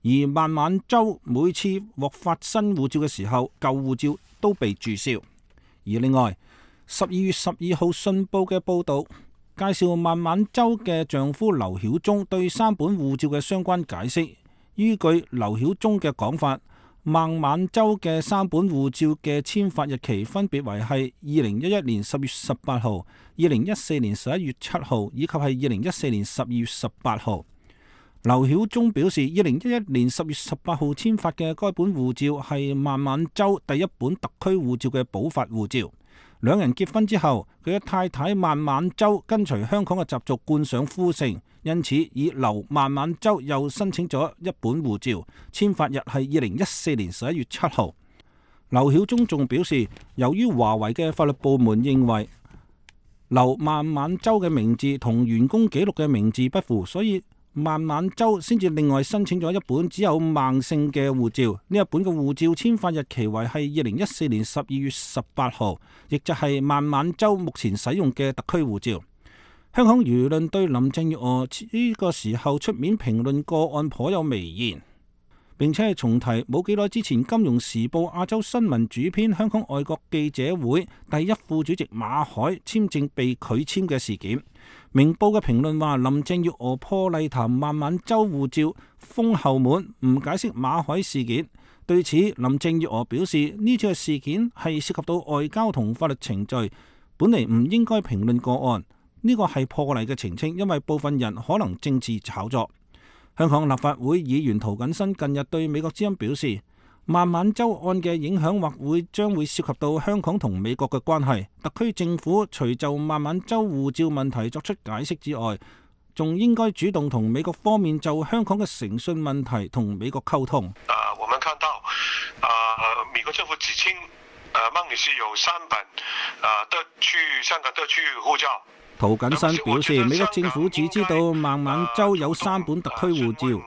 [SPEAKER 5] 而孟晚舟每次獲發新護照嘅時候，舊護照都被註銷。而另外，十二月十二號信報嘅報導介紹孟晚舟嘅丈夫劉曉忠對三本護照嘅相關解釋。依據劉曉忠嘅講法，孟晚舟嘅三本護照嘅簽發日期分別為係二零一一年十月十八號、二零一四年十一月七號以及係二零一四年十二月十八號。劉曉忠表示，二零一一年十月十八號簽發嘅該本護照係孟晚舟第一本特區護照嘅補發護照。兩人結婚之後，佢嘅太太孟晚舟跟隨香港嘅習俗冠上夫姓，因此以劉孟晚舟又申請咗一本護照，簽發日係二零一四年十一月七號。劉曉忠仲表示，由於華為嘅法律部門認為劉孟晚舟嘅名字同員工記錄嘅名字不符，所以孟晚舟先至另外申請咗一本只有孟姓嘅護照。呢一本嘅護照簽發日期為係二零一四年十二月十八號，亦就係孟晚舟目前使用嘅特區護照。香港輿論對林鄭月娥呢個時候出面評論個案頗有微言，並且係重提冇幾耐之前《金融時報》亞洲新聞主編香港外國記者會第一副主席馬凱簽證被拒簽嘅事件。明報嘅評論話，林鄭月娥破例談孟晚舟護照封後門，唔解釋馬凱事件。對此，林鄭月娥表示，呢次嘅事件係涉及到外交同法律程序，本嚟唔應該評論個案。呢個係破例嘅澄清，因為部分人可能政治炒作。香港立法會議員涂謹申近日對美國之音表示，孟晚舟案嘅影響或會將會涉及到香港同美國嘅關係。特區政府除就孟晚舟護照問題作出解釋之外，仲應該主動同美國方面就香港嘅誠信問題同美國溝通。
[SPEAKER 2] 啊，我們看到啊，美國政府指稱啊孟女士有三本啊特區香港特區護照。
[SPEAKER 5] 涂謹申表示，美國政府只知道孟晚舟有三本特區護照。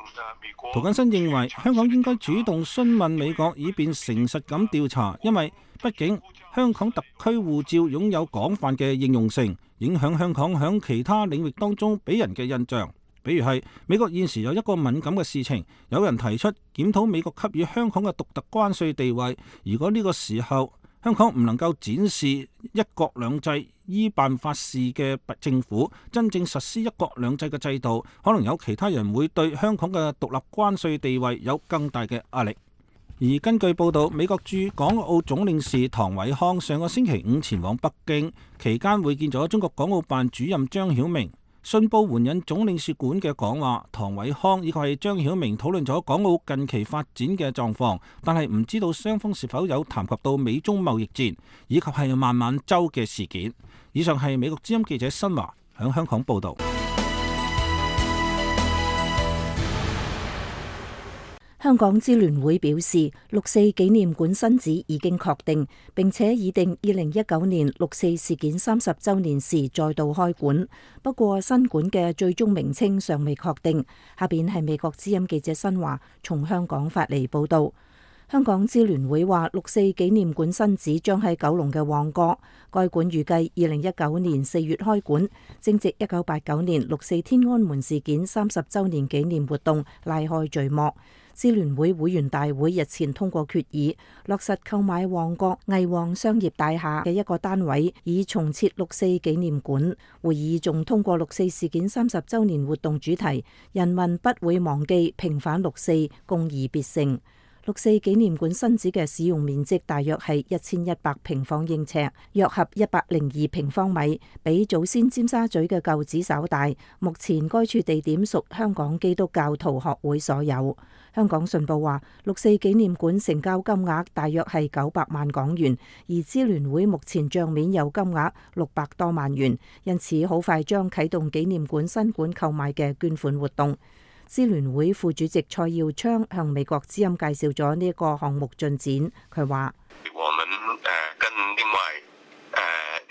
[SPEAKER 5] 涂謹申認為香港應該主動詢問美國，以便誠實咁調查，因為畢竟香港特區護照擁有廣泛嘅應用性，影響香港響其他領域當中俾人嘅印象。比如係美國現時有一個敏感嘅事情，有人提出檢討美國給予香港嘅獨特關稅地位。如果呢個時候香港唔能夠展示一國兩制依辦法治嘅政府，真正實施一國兩制嘅制度，可能有其他人會對香港嘅獨立關稅地位有更大嘅壓力。而根據報道，美國駐港澳總領事唐偉康上個星期五前往北京，期間會見咗中國港澳辦主任張曉明。信報援引總領事館嘅講話，唐偉康以及係張曉明討論咗港澳近期發展嘅狀況，但係唔知道雙方是否有談及到美中貿易戰以及係孟晚舟嘅事件。以上係美國之音記者新華響香港報道。
[SPEAKER 1] 香港支聯會表示，六四紀念館新址已經確定，並且擬定二零一九年六四事件三十週年時再度開館。不過新館嘅最終名稱尚未確定。下邊係美國之音記者新華從香港發嚟報道。香港支聯會話，六四紀念館新址將喺九龍嘅旺角，該館預計二零一九年四月開館，正值一九八九年六四天安門事件三十週年紀念活動拉開序幕。支聯會會員大會日前通過決議，落實購買旺角藝旺商業大廈嘅一個單位，以重設六四紀念館。會議仲通過六四事件三十週年活動主題：人民不會忘記，平反六四，共擬別成。六四紀念館新址嘅使用面積大約係一千一百平方英尺，約合一百零二平方米，比祖先尖沙咀嘅舊址稍大。目前該處地點屬香港基督教徒學會所有。香港信報話，六四紀念館成交金額大約係九百萬港元，而支聯會目前帳面有金額六百多萬元，因此好快將啟動紀念館新館購買嘅捐款活動。支聯會副主席蔡耀昌向美國之音介紹咗呢個項目進展，佢話：
[SPEAKER 2] 我們誒跟另外誒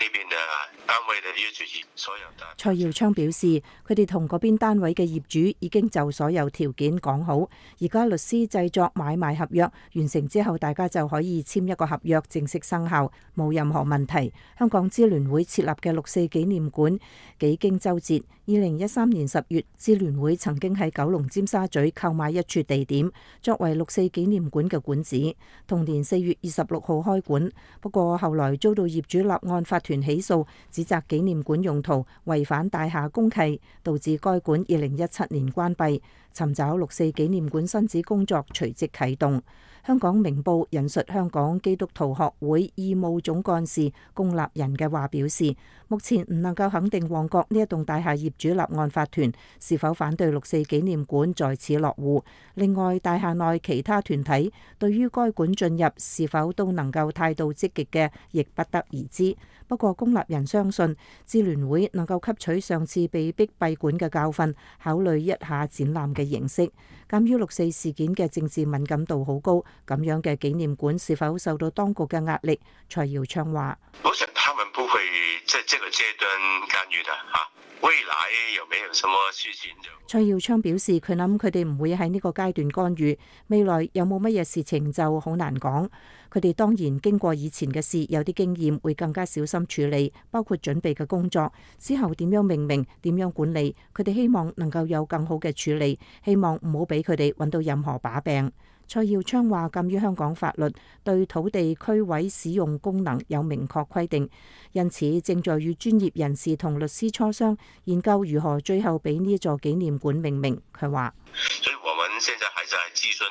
[SPEAKER 2] 呢邊嘅單位嘅業主所有的。
[SPEAKER 1] 蔡耀昌表示，佢哋同嗰邊單位嘅業主已經就所有條件講好，而家律師製作買賣合約完成之後，大家就可以簽一個合約正式生效，冇任何問題。香港支聯會設立嘅六四紀念館幾經周折。二零一三年十月，支聯會曾經喺九龍尖沙咀購買一處地點，作為六四紀念館嘅館址。同年四月二十六號開館，不過後來遭到業主立案法團起訴，指責紀念館用途違反大廈公契，導致該館二零一七年關閉。尋找六四紀念館新址工作隨即啟動。香港明報引述香港基督徒學會義務總幹事龔立人嘅話表示，目前唔能夠肯定旺角呢一棟大廈業主立案法團是否反對六四紀念館在此落戶。另外，大廈內其他團體對於該館進入是否都能夠態度積極嘅，亦不得而知。不過，龔立人相信支聯會能夠吸取上次被逼閉館嘅教訓，考慮一下展覽嘅形式。鑑於六四事件嘅政治敏感度好高，咁樣嘅紀念館是否受到當局嘅壓力？蔡耀昌話：
[SPEAKER 2] 我想他們不會在這個階段干預的啊。未來有沒有什麼事情就？
[SPEAKER 1] 蔡耀昌表示，佢諗佢哋唔會喺呢個階段干預，未來有冇乜嘢事情就好難講。佢哋當然經過以前嘅事，有啲經驗，會更加小心處理，包括準備嘅工作，之後點樣命名、點樣管理，佢哋希望能夠有更好嘅處理，希望唔好俾佢哋揾到任何把柄。蔡耀昌話，鑑於香港法律對土地區位使用功能有明確規定，因此正在與專業人士同律師磋商，研究如何最後俾呢座紀念館命名。佢話：
[SPEAKER 2] 所以我們現在還在諮詢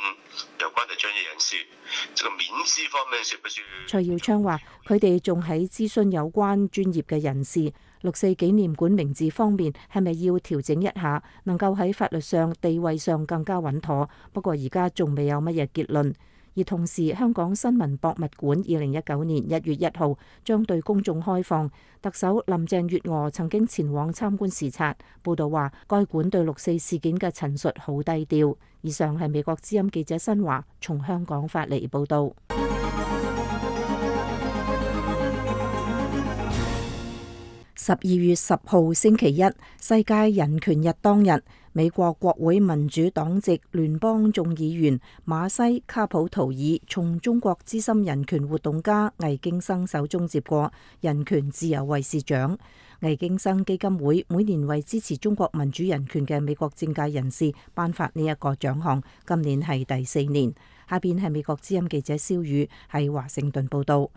[SPEAKER 2] 有關嘅專業人士，這個名字方面是不是？
[SPEAKER 1] 蔡耀昌話，佢哋仲喺諮詢有關專業嘅人士。六四紀念館名字方面係咪要調整一下，能夠喺法律上地位上更加穩妥？不過而家仲未有乜嘢結論。而同時，香港新聞博物館二零一九年一月一號將對公眾開放。特首林鄭月娥曾經前往參觀視察。報道話，該館對六四事件嘅陳述好低調。以上係美國之音記者新華從香港發嚟報道。十二月十號星期一，世界人權日當日，美國國會民主黨籍聯邦眾議員馬西卡普圖爾從中國資深人權活動家魏京生手中接過人權自由衛士獎。魏京生基金會每年為支持中國民主人權嘅美國政界人士頒發呢一個獎項，今年係第四年。下邊係美國之音記者蕭宇喺華盛頓報道。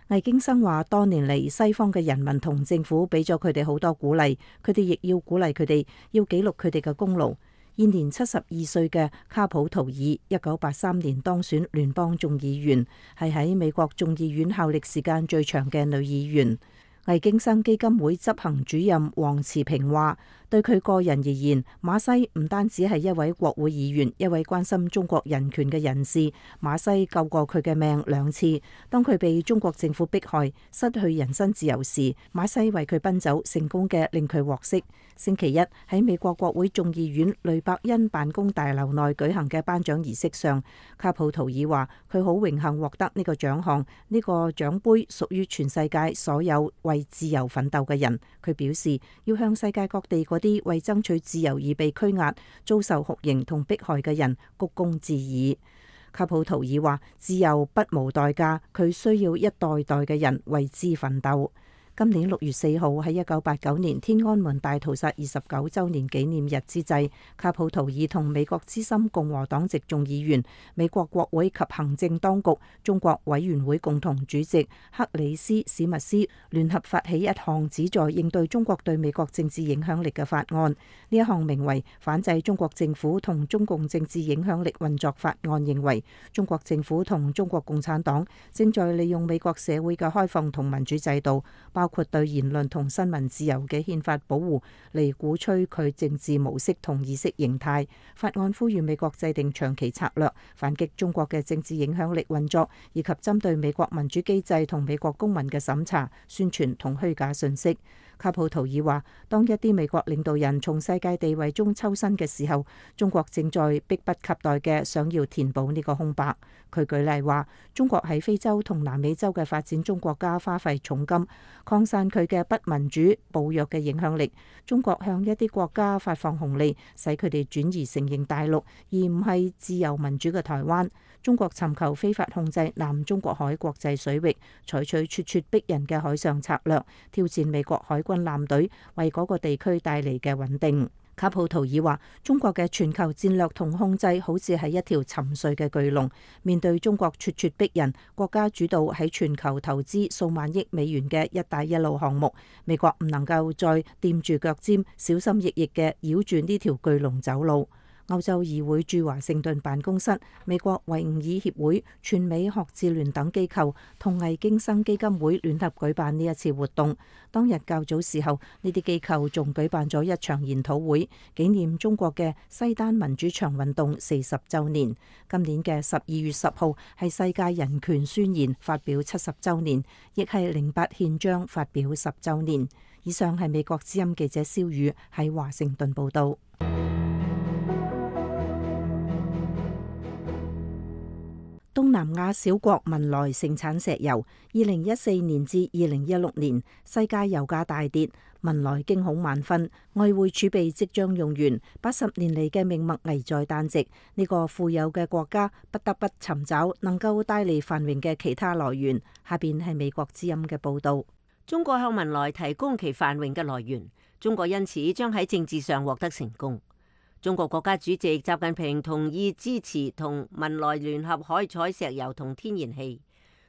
[SPEAKER 1] 魏京生話：多年嚟，西方嘅人民同政府俾咗佢哋好多鼓勵，佢哋亦要鼓勵佢哋，要記錄佢哋嘅功勞。現年七十二歲嘅卡普圖爾，一九八三年當選聯邦眾議員，係喺美國眾議院效力時間最長嘅女議員。魏京生基金會執行主任黃慈平話：對佢個人而言，馬西唔單止係一位國會議員，一位關心中國人權嘅人士。馬西救過佢嘅命兩次。當佢被中國政府迫害、失去人身自由時，馬西為佢奔走，成功嘅令佢獲釋。星期一喺美國國會眾議院雷伯恩辦公大樓內舉行嘅頒獎儀式上，卡普圖爾話：佢好榮幸獲得呢個獎項，呢個獎杯屬於全世界所有為自由奮鬥嘅人。佢表示要向世界各地嗰啲為爭取自由而被拘押、遭受酷刑同迫害嘅人鞠躬致意。卡普圖爾話：自由不無代價，佢需要一代代嘅人為之奮鬥。今年六月四號喺一九八九年天安門大屠殺二十九週年紀念日之際，卡普圖爾同美國資深共和黨籍眾議員、美國國會及行政當局中國委員會共同主席克里斯史密斯聯合發起一項旨在應對中國對美國政治影響力嘅法案。呢一項名為《反制中國政府同中共政治影響力運作法案》，認為中國政府同中國共產黨正在利用美國社會嘅開放同民主制度，包括對言論同新聞自由嘅憲法保護，嚟鼓吹佢政治模式同意識形態。法案呼籲美國制定長期策略，反擊中國嘅政治影響力運作，以及針對美國民主機制同美國公民嘅審查、宣傳同虛假信息。卡普圖爾話：當一啲美國領導人從世界地位中抽身嘅時候，中國正在迫不及待嘅想要填補呢個空白。佢舉例話：中國喺非洲同南美洲嘅發展中國家花費重金擴散佢嘅不民主、暴虐嘅影響力。中國向一啲國家發放紅利，使佢哋轉移承認大陸，而唔係自由民主嘅台灣。中國尋求非法控制南中國海國際水域，採取咄咄逼人嘅海上策略，挑戰美國海軍艦隊為嗰個地區帶嚟嘅穩定。卡普圖爾話：中國嘅全球戰略同控制好似係一條沉睡嘅巨龍，面對中國咄咄逼人、國家主導喺全球投資數萬億美元嘅一帶一路項目，美國唔能夠再掂住腳尖，小心翼翼嘅繞住呢條巨龍走路。歐洲議會駐華盛頓辦公室、美國維吾爾協會、全美學智聯等機構同魏京生基金會聯合舉辦呢一次活動。當日較早時候，呢啲機構仲舉辦咗一場研討會，紀念中國嘅西單民主牆運動四十週年。今年嘅十二月十號係世界人權宣言發表七十週年，亦係零八憲章發表十週年。以上係美國之音記者蕭宇喺華盛頓報導。東南亞小國文萊盛產石油，二零一四年至二零一六年世界油價大跌，文萊驚恐萬分，外匯儲備即將用完，八十年嚟嘅命脈危在旦夕。呢個富有嘅國家不得不尋找能夠帶嚟繁榮嘅其他來源。下邊係美國之音嘅報導。
[SPEAKER 9] 中國向文萊提供其繁榮嘅來源，中國因此將喺政治上獲得成功。中國國家主席習近平同意支持同文萊聯合開採石油同天然氣，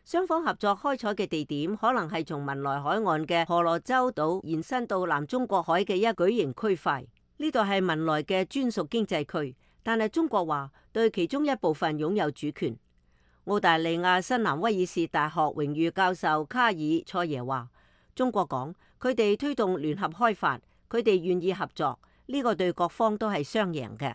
[SPEAKER 9] 雙方合作開採嘅地點可能係從文萊海岸嘅婆羅洲島延伸到南中國海嘅一巨型區塊。呢度係文萊嘅專屬經濟區，但係中國話對其中一部分擁有主權。澳大利亞新南威爾士大學榮譽教授卡爾塞耶話：中國講佢哋推動聯合開發，佢哋願意合作。呢個對各方都係雙贏嘅。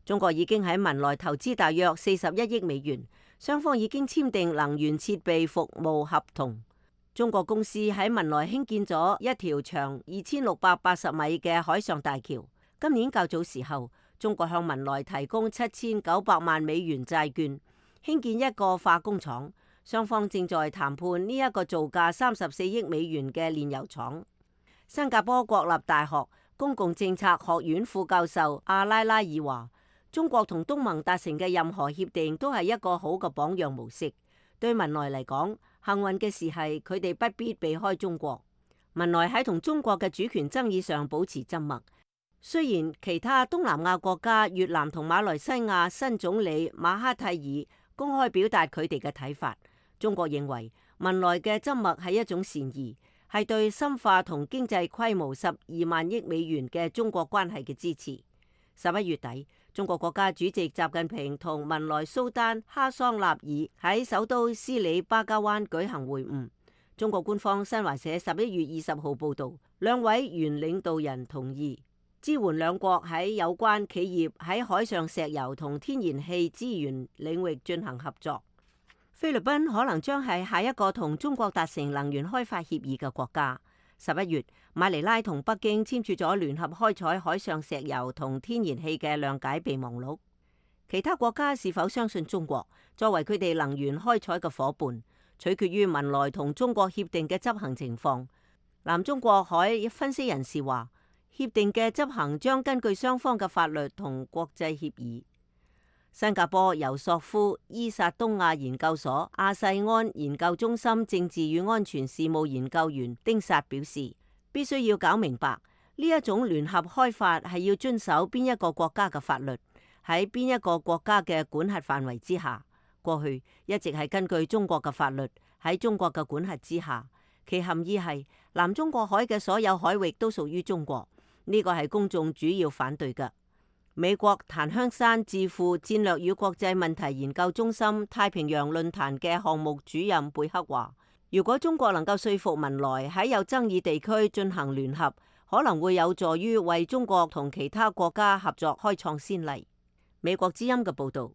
[SPEAKER 9] 中國已經喺文萊投資大約四十一億美元，雙方已經簽訂能源設備服務合同。中國公司喺文萊興建咗一條長二千六百八十米嘅海上大橋。今年較早時候，中國向文萊提供七千九百萬美元債券，興建一個化工廠。雙方正在談判呢一個造價三十四億美元嘅煉油廠。新加坡國立大學公共政策學院副教授阿拉拉爾話：中國同東盟達成嘅任何協定都係一個好嘅榜樣模式。對文萊嚟講，幸運嘅事係佢哋不必避開中國。文萊喺同中國嘅主權爭議上保持緘默。雖然其他東南亞國家越南同馬來西亞新總理馬哈蒂爾公開表達佢哋嘅睇法，中國認為文萊嘅緘默係一種善意，係對深化同經濟規模十二萬億美元嘅中國關係嘅支持。十一月底，中國國家主席習近平同文萊蘇丹哈桑納爾喺首都斯里巴加灣舉行會晤。中國官方新華社十一月二十號報導，兩位原領導人同意支援兩國喺有關企業喺海上石油同天然氣資源領域進行合作。菲律賓可能將係下一個同中國達成能源開發協議嘅國家。十一月，馬尼拉同北京簽署咗聯合開採海上石油同天然氣嘅諒解備忘錄。其他國家是否相信中國作為佢哋能源開採嘅夥伴，取決於文萊同中國協定嘅執行情況。南中國海分析人士話，協定嘅執行將根據雙方嘅法律同國際協議。新加坡尤索夫伊薩東亞研究所亞細安研究中心政治與安全事務研究員丁薩表示，必須要搞明白呢一種聯合開發係要遵守邊一個國家嘅法律，喺邊一個國家嘅管轄範圍之下。過去一直係根據中國嘅法律喺中國嘅管轄之下，其含義係南中國海嘅所有海域都屬於中國，呢個係公眾主要反對嘅。美國檀香山智庫戰略與國際問題研究中心太平洋論壇嘅項目主任貝克話，如果中國能夠說服文萊喺有爭議地區進行聯合，可能會有助於為中國同其他國家合作開創先例。美國之音嘅報導。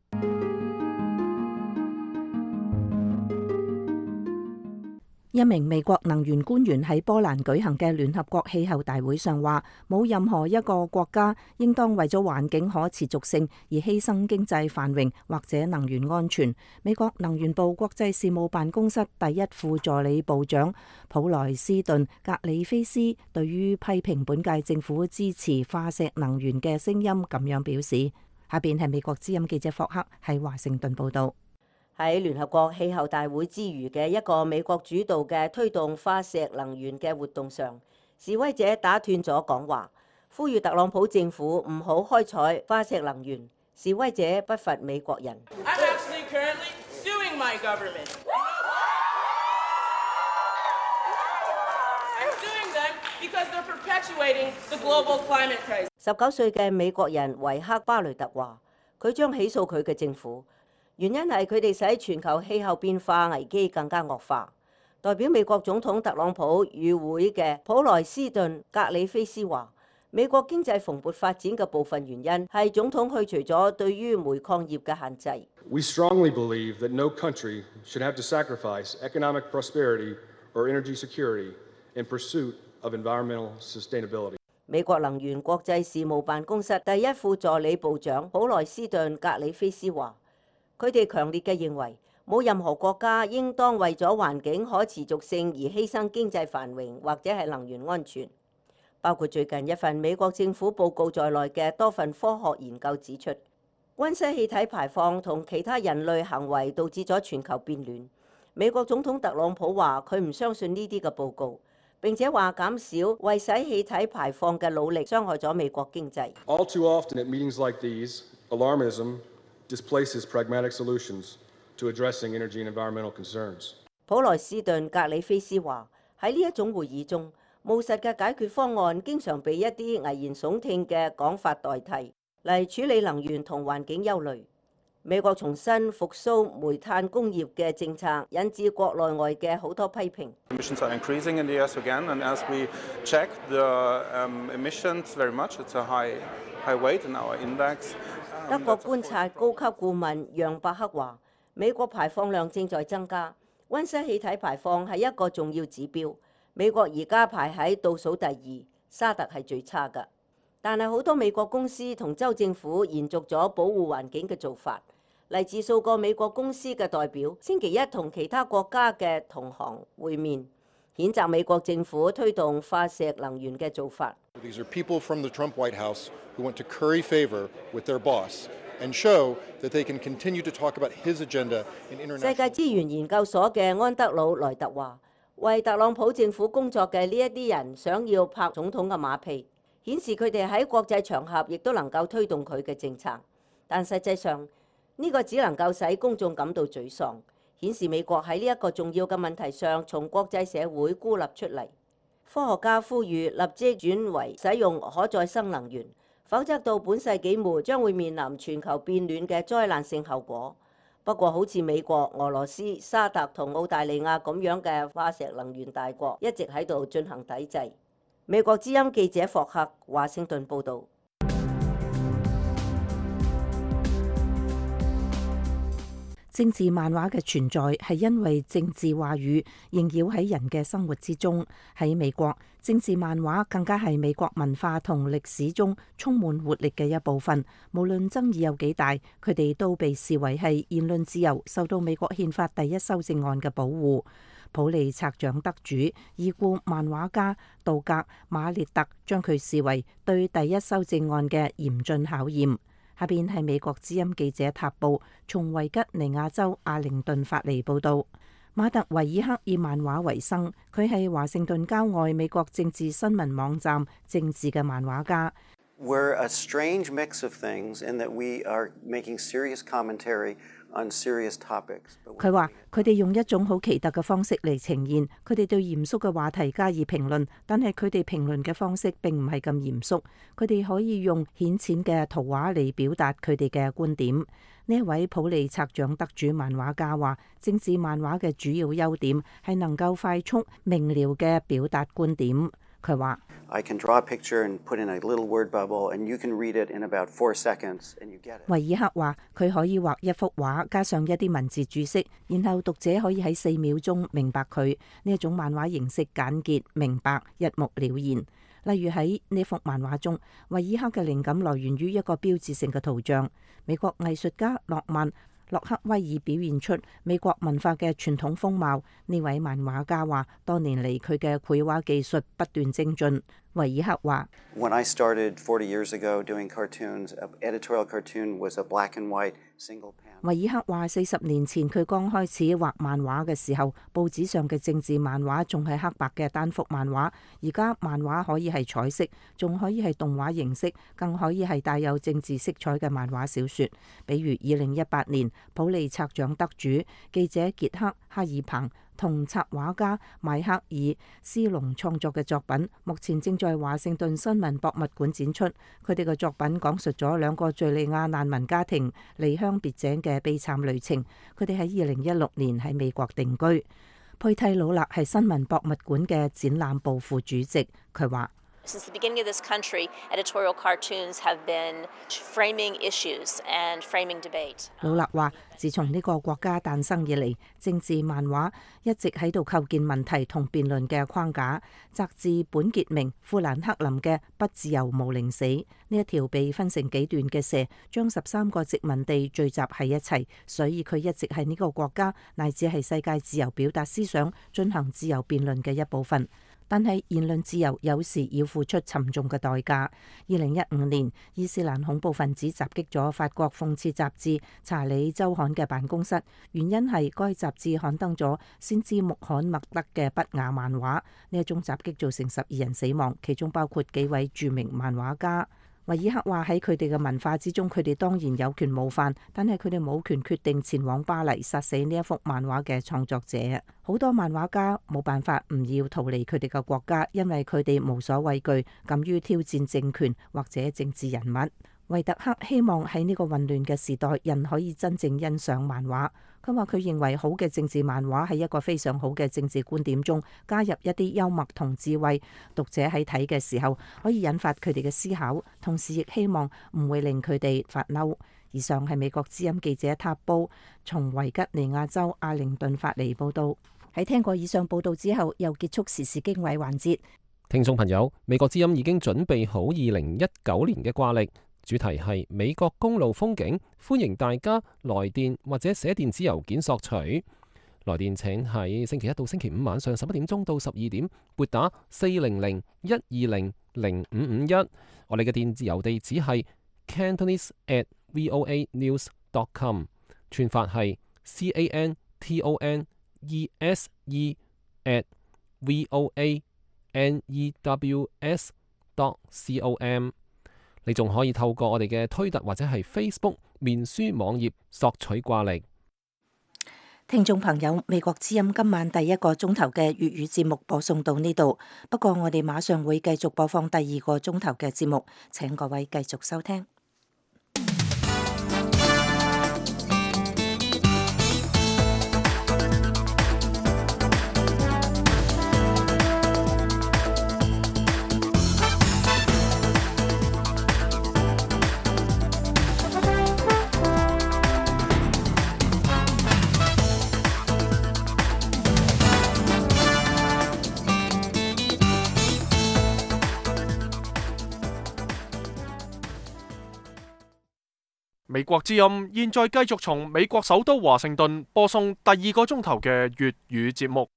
[SPEAKER 1] 一名美國能源官員喺波蘭舉行嘅聯合國氣候大會上話，冇任何一個國家應當為咗環境可持續性而犧牲經濟繁榮或者能源安全。美國能源部國際事務辦公室第一副助理部長普萊斯頓格里菲斯對於批評本屆政府支持化石能源嘅聲音咁樣表示。下邊係美國之音記者霍克喺華盛頓報道。
[SPEAKER 9] 喺聯合國氣候大會之餘嘅一個美國主導嘅推動化石能源嘅活動上，示威者打斷咗講話，呼籲特朗普政府唔好開採化石能源。示威者不乏美國人。十九歲嘅美國人維克巴雷特話，佢將起訴佢嘅政府。原因係佢哋使全球氣候變化危機更加惡化。代表美國總統特朗普與會嘅普萊斯頓格里菲斯話，美國經濟蓬勃發展嘅部分原因係總統去除咗對於煤礦業嘅限制。
[SPEAKER 10] We strongly believe that no country should have to sacrifice economic prosperity or energy security in pursuit of environmental sustainability.
[SPEAKER 9] 美國能源國際事務辦公室第一副助理部長普萊斯頓格里菲斯話，佢哋強烈嘅認為，冇任何國家應當為咗環境可持續性而犧牲經濟繁榮或者係能源安全。包括最近一份美國政府報告在內嘅多份科學研究指出，溫室氣體排放同其他人類行為導致咗全球變暖。美國總統特朗普話佢唔相信呢啲嘅報告，並且話減少為使氣體排放嘅努力傷害咗美國經濟。
[SPEAKER 10] All too often at meetings like these, alarmism displaces pragmatic solutions to addressing energy and environmental concerns.
[SPEAKER 9] 普萊斯頓格里菲斯話，喺呢一種會議中，務實嘅解決方案經常被一啲危言聳聽嘅講法代替，嚟處理能源同環境憂慮。美國重新復甦煤炭工業嘅政策，引致國內外嘅好多批評。
[SPEAKER 11] Emissions are increasing in the U S again, and as we check the um, emissions very much, it's a high high weight in our index.
[SPEAKER 9] 德國觀察高級顧問楊伯克話，美國排放量正在增加，溫室氣體排放係一個重要指標。美國而家排喺倒數第二，沙特係最差㗎。但係好多美國公司同州政府延續咗保護環境嘅做法。嚟自數個美國公司嘅代表星期一同其他國家嘅同行會面，譴責美國政府推動化石能源嘅做法。
[SPEAKER 12] These are people from the Trump White House who want to curry favor with their boss and show that they can continue to talk about his agenda in international.
[SPEAKER 9] 世界資源研究所嘅安德魯萊特話，為特朗普政府工作嘅呢一啲人想要拍總統嘅馬屁，顯示佢哋喺國際場合亦都能夠推動佢嘅政策，但實際上呢個只能夠使公眾感到沮喪，顯示美國喺呢一個重要嘅問題上，從國際社會孤立出嚟。科學家呼籲立即轉為使用可再生能源，否則到本世紀末將會面臨全球變暖嘅災難性後果。不過，好似美國、俄羅斯、沙特同澳大利亞咁樣嘅化石能源大國，一直喺度進行抵制。美國之音記者霍克華盛頓報導。
[SPEAKER 1] 政治漫畫嘅存在係因為政治話語縈繞喺人嘅生活之中。喺美國，政治漫畫更加係美國文化同歷史中充滿活力嘅一部分。無論爭議有幾大，佢哋都被視為係言論自由受到美國憲法第一修正案嘅保護。普利策獎得主已故漫畫家杜格馬列特將佢視為對第一修正案嘅嚴峻考驗。下邊係美國之音記者塔布從維吉尼亞州阿靈頓發嚟報導。馬特維爾克以漫畫為生，佢係華盛頓郊外美國政治新聞網站政治嘅漫畫家。
[SPEAKER 13] We're a strange mix of things in that we are making serious commentary on serious topics.
[SPEAKER 1] 佢話：佢哋用一種好奇特嘅方式嚟呈現，佢哋對嚴肅嘅話題加以評論，但係佢哋評論嘅方式並唔係咁嚴肅。佢哋可以用顯淺嘅圖畫嚟表達佢哋嘅觀點。呢一位普利策獎得主漫畫家話：政治漫畫嘅主要優點係能夠快速明瞭嘅表達觀點。佢話：
[SPEAKER 13] I can draw a picture and put in a little word bubble, and you can read it in about four seconds, and you get it.
[SPEAKER 1] 維爾克話：佢可以畫一幅畫，加上一啲文字注釋，然後讀者可以喺四秒鐘明白佢。呢一種漫畫形式簡潔明白，一目了然。例如喺呢幅漫畫中，維爾克嘅靈感來源於一個標誌性嘅圖像。美國藝術家諾曼洛克威爾表現出美國文化嘅傳統風貌。呢位漫畫家話：多年嚟佢嘅繪畫技術不斷精進。維爾克話
[SPEAKER 13] ：When I started forty years ago doing cartoons, an editorial cartoon was a black and white single panel.
[SPEAKER 1] 維爾克話：四十年前佢剛開始畫漫畫嘅時候，報紙上嘅政治漫畫仲係黑白嘅單幅漫畫。而家漫畫可以係彩色，仲可以係動畫形式，更可以係帶有政治色彩嘅漫畫小説。比如二零一八年普利策獎得主記者傑克哈爾彭同插畫家邁克爾斯隆創作嘅作品，目前正在華盛頓新聞博物館展出。佢哋嘅作品講述咗兩個敘利亞難民家庭離鄉別井嘅悲慘旅程。佢哋喺二零一六年喺美國定居。佩蒂魯勒係新聞博物館嘅展覽部副主席，佢話
[SPEAKER 14] ：Since the beginning of this country, editorial cartoons have been framing issues and framing debate.
[SPEAKER 1] 魯勒話：自從呢個國家誕生以嚟，政治漫畫一直喺度構建問題同辯論嘅框架。摘自本傑明·富蘭克林嘅《不自由無寧死》，呢一條被分成幾段嘅蛇，將十三個殖民地聚集喺一齊，所以佢一直係呢個國家乃至係世界自由表達思想、進行自由辯論嘅一部分。但係言論自由有時要付出沉重嘅代價。二零一五年，伊斯蘭恐怖分子襲擊咗法國諷刺雜誌《查理周刊》嘅辦公室，原因係該雜誌刊登咗先知穆罕默德嘅不雅漫畫。呢一種襲擊造成十二人死亡，其中包括幾位著名漫畫家。維爾克話：喺佢哋嘅文化之中，佢哋當然有權冒犯，但係佢哋冇權決定前往巴黎殺死呢一幅漫畫嘅創作者。好多漫畫家冇辦法唔要逃離佢哋嘅國家，因為佢哋無所畏懼，敢於挑戰政權或者政治人物。維特克希望喺呢個混亂嘅時代，人可以真正欣賞漫畫。佢話佢認為好嘅政治漫畫喺一個非常好嘅政治觀點中加入一啲幽默同智慧，讀者喺睇嘅時候可以引發佢哋嘅思考，同時亦希望唔會令佢哋發嬲。以上係美國之音記者塔布從維吉尼亞州阿靈頓發嚟報道。喺聽過以上報道之後，又結束時事經緯環節。
[SPEAKER 3] 聽眾朋友，美國之音已經準備好二零一九年嘅掛曆。主題係美國公路風景，歡迎大家來電或者寫電子郵件索取。來電請喺星期一到星期五晚上十一點鐘到十二點撥打四零零一二零零五五一。我哋嘅電子郵地址係 cantonese at voa news dot com， 串法係 c a n t o n e s e at voa news dot com。你仲可以透過我哋嘅推特或者係 Facebook 面書網頁索取掛曆。
[SPEAKER 1] 聽眾朋友，美國之音今晚第一個鐘頭嘅粵語節目播送到呢度，不過我哋馬上會繼續播放第二個鐘頭嘅節目，請各位繼續收聽。
[SPEAKER 6] 美國之音現在繼續從美國首都華盛頓播送第二個鐘頭嘅粵語節目。